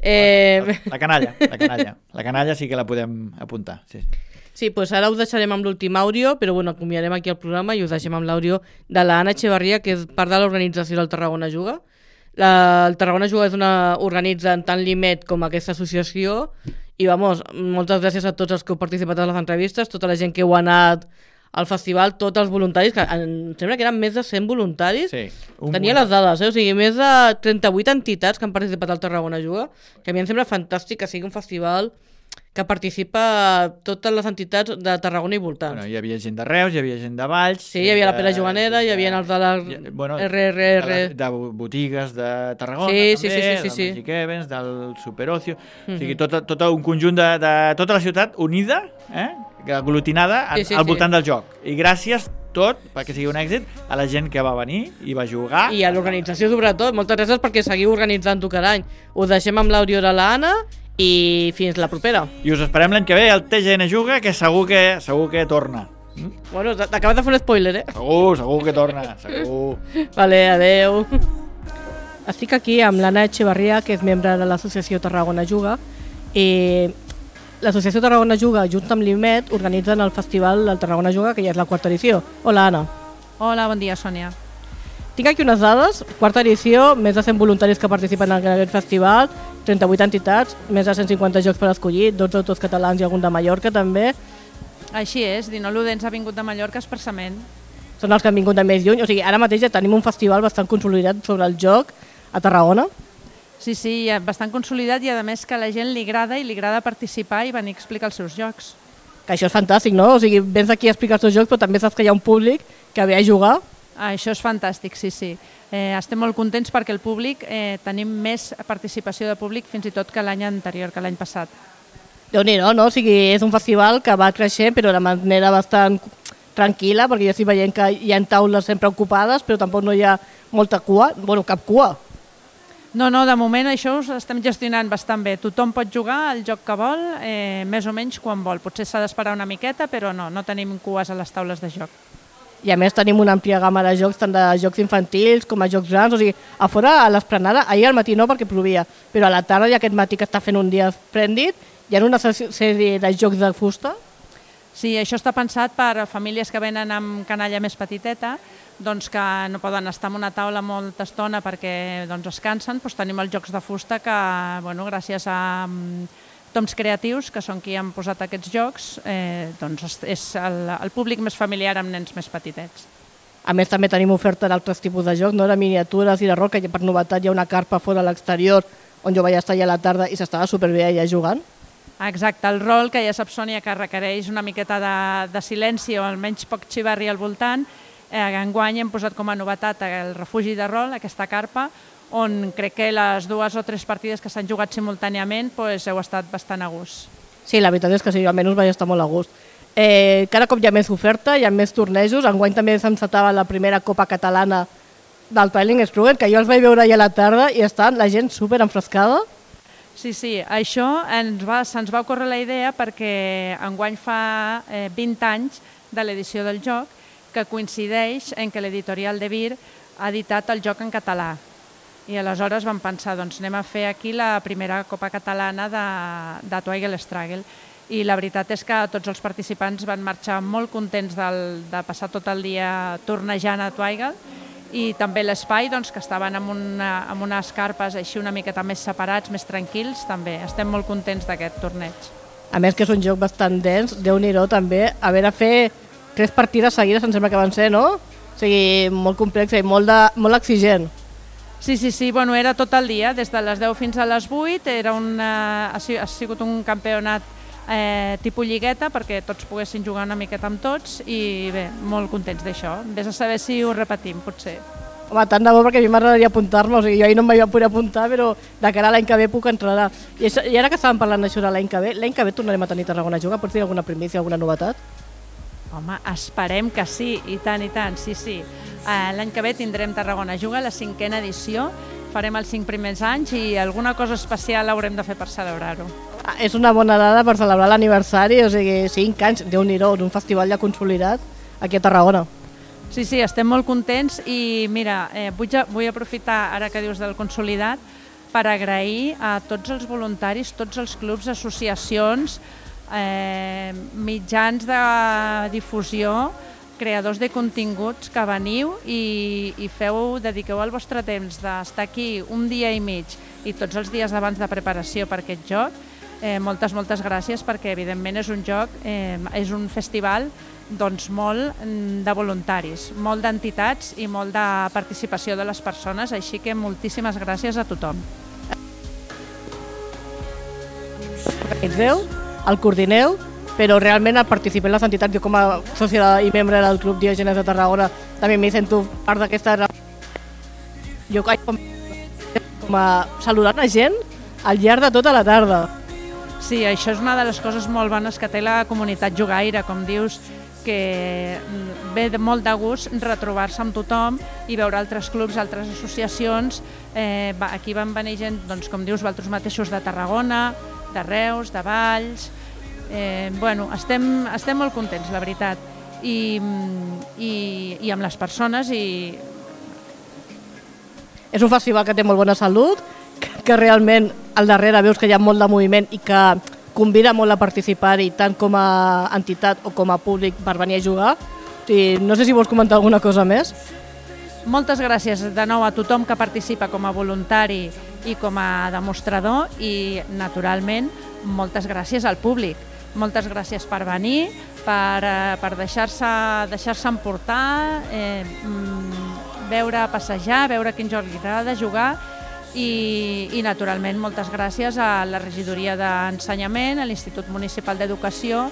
La canalla sí que la podem apuntar, sí. Sí, doncs ara us deixarem amb l'últim àudio, però acomiadarem aquí el programa i us deixem amb l'àudio de l'Anna Echevarria, que és part de l'organització del Tarragona Juga. El Tarragona Juga organitza tant l'IMET com aquesta associació i, moltes gràcies a tots els que heu participat a les entrevistes, tota la gent que heu anat al festival, tots els voluntaris, que em sembla que eren més de 100 voluntaris. Sí, tenia les dades, o sigui, més de 38 entitats que han participat al Tarragona Juga, que a mi em sembla fantàstic que sigui un festival que participa totes les entitats de Tarragona i voltants. Hi havia gent de Reus, hi havia gent de Valls... Sí, hi havia la Pere Joanera, hi havia els de la RRR... De botigues de Tarragona, també, del Magic Events, del Superocio... O sigui, tot un conjunt de tota la ciutat unida, aglutinada al voltant del joc. I gràcies tot, perquè sigui un èxit, a la gent que va venir i va jugar. I a l'organització, sobretot. Moltes gràcies perquè seguiu organitzant-ho cada any. Us deixem amb l'àudio de l'Anna i fins la propera. I us esperem l'any que ve al TGN Juga, que segur que torna. Bueno, t'acabes de fer un spoiler, Segur que torna, segur. Vale, adeu. Estic aquí amb l'Anna Echevarria, que és membre de l'associació Tarragona Juga, i l'associació Tarragona Juga, junt amb l'IMET, organitzen el festival del Tarragona Juga, que ja és la 4ª edició. Hola, Anna. Hola, bon dia, Sònia. tinc aquí unes dades, quarta edició, més de 100 voluntaris que participen en aquest festival, 38 entitats, més de 150 jocs per escollir, 12 autors catalans i algun de Mallorca també. Així és, Dino Ludens ha vingut de Mallorca expressament. Són els que han vingut de més lluny, o sigui, ara mateix ja tenim un festival bastant consolidat sobre el joc a Tarragona. Sí, bastant consolidat i a més que a la gent li agrada participar i venir a explicar els seus jocs. Que això és fantàstic, no? O sigui, vens aquí a explicar els teus jocs, però també saps que hi ha un públic que ve a jugar. Això és fantàstic, sí. Estem molt contents perquè el públic, tenim més participació de públic fins i tot que l'any anterior, que l'any passat. Déu-n'hi-do, no? O sigui, és un festival que va creixent, però de manera bastant tranquil·la, perquè jo estic veient que hi ha taules sempre ocupades, però tampoc no hi ha molta cua, bueno, cap cua. No, de moment això ho estem gestionant bastant bé. Tothom pot jugar el joc que vol, més o menys quan vol. Potser s'ha d'esperar una miqueta, però no tenim cues a les taules de joc. I a més tenim una àmplia gamma de jocs, tant de jocs infantils com a jocs grans, o sigui, a fora a l'esplanada, ahir al matí no perquè plovia, però a la tarda i aquest matí que està fent un dia esplèndid, hi ha una sèrie de jocs de fusta. Sí, això està pensat per famílies que venen amb canalla més petiteta, doncs que no poden estar en una taula molta estona perquè es cansen, doncs tenim els jocs de fusta que, gràcies a Toms Creatius, que són qui han posat aquests jocs, doncs és el públic més familiar amb nens més petitets. A més, també tenim oferta d'altres tipus de jocs, de miniatures i de roca, i per novetat hi ha una carpa fora a l'exterior on jo vaig estar allà a la tarda i s'estava superbé allà jugant. Exacte, el rol, que ja saps, Sònia, que requereix una miqueta de silenci o almenys poc xivarri al voltant. Enguany hem posat com a novetat el refugi de rol, aquesta carpa, on crec que les 2 o 3 partides que s'han jugat simultàniament heu estat bastant a gust. Sí, la veritat és que sí, almenys vaig estar molt a gust. Cada cop hi ha més oferta, hi ha més tornejos. Enguany també s'encetava la primera Copa Catalana del Twilight Struggle, que jo els vaig veure ahir a la tarda i estan la gent super enfrescada. Sí, això se'ns va ocórrer la idea perquè enguany fa 20 anys de l'edició del joc, que coincideix en que l'editorial de Vir ha editat el joc en català. I aleshores vam pensar, anem a fer aquí la primera Copa Catalana de Twilight Struggle. I la veritat és que tots els participants van marxar molt contents de passar tot el dia tornejant a Twilight, i també l'espai, que estaven amb unes carpes així una miqueta més separats, més tranquils, també. Estem molt contents d'aquest torneig. A més que és un joc bastant dens, Déu-n'hi-do també, haver de fer 3 partides seguides, em sembla que van ser, no? O sigui, molt complex i molt exigent. Sí, era tot el dia, des de les 10 fins a les 8, ha sigut un campionat tipus lligueta perquè tots poguessin jugar una miqueta amb tots i bé, molt contents d'això. Vés a saber si ho repetim, potser. Home, tant de bo, perquè a mi m'agradaria apuntar-me, o sigui, jo ahir no em vaig poder apuntar, però de cara a l'any que ve puc entrar. I ara que estàvem parlant d'això de l'any que ve tornarem a tenir Tarragona a jugar, pots dir alguna primícia, alguna novetat? Home, esperem que sí, i tant, sí. L'any que ve tindrem Tarragona a jugar, la 5a edició, farem els 5 primers anys i alguna cosa especial haurem de fer per celebrar-ho. És una bona dada per celebrar l'aniversari, o sigui, 5 anys, Déu-n'hi-do, d'un festival ja consolidat aquí a Tarragona. Sí, estem molt contents i mira, vull aprofitar ara que dius del consolidat per agrair a tots els voluntaris, tots els clubs, associacions, mitjans de difusió, creadors de continguts que veniu i dediqueu el vostre temps d'estar aquí un dia i mig i tots els dies abans de preparació per aquest joc. Moltes gràcies, perquè evidentment és un joc, és un festival molt de voluntaris, molt d'entitats i molt de participació de les persones, així que moltíssimes gràcies a tothom. El coordineu, però realment participem les entitats. Jo com a sòcia i membre del Club Diògenes de Tarragona també m'hi sento part d'aquesta... Jo com a saludant la gent al llarg de tota la tarda. Sí, això és una de les coses molt bones que té la comunitat jugaire, com dius, que ve molt de gust retrobar-se amb tothom i veure altres clubs, altres associacions. Aquí van venir gent, com dius, vosaltres mateixos de Tarragona, de Reus, de Valls... Estem molt contents, la veritat, i amb les persones. És un festival que té molt bona salut, que realment al darrere veus que hi ha molt de moviment i que convida molt a participar-hi, tant com a entitat o com a públic, per venir a jugar. No sé si vols comentar alguna cosa més. Moltes gràcies de nou a tothom que participa com a voluntari i com a demostrador i, naturalment, moltes gràcies al públic. Moltes gràcies per venir, per deixar-se emportar, veure passejar, veure quin joc li agrada jugar i, naturalment, moltes gràcies a la regidoria d'Ensenyament, a l'Institut Municipal d'Educació,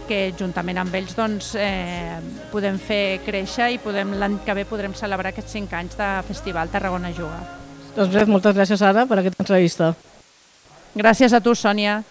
que juntament amb ells podem fer créixer i l'any que ve podrem celebrar aquests 5 anys de Festival Tarragona Juga. Doncs res, moltes gràcies, Ada, per aquesta entrevista. Gràcies a tu, Sònia.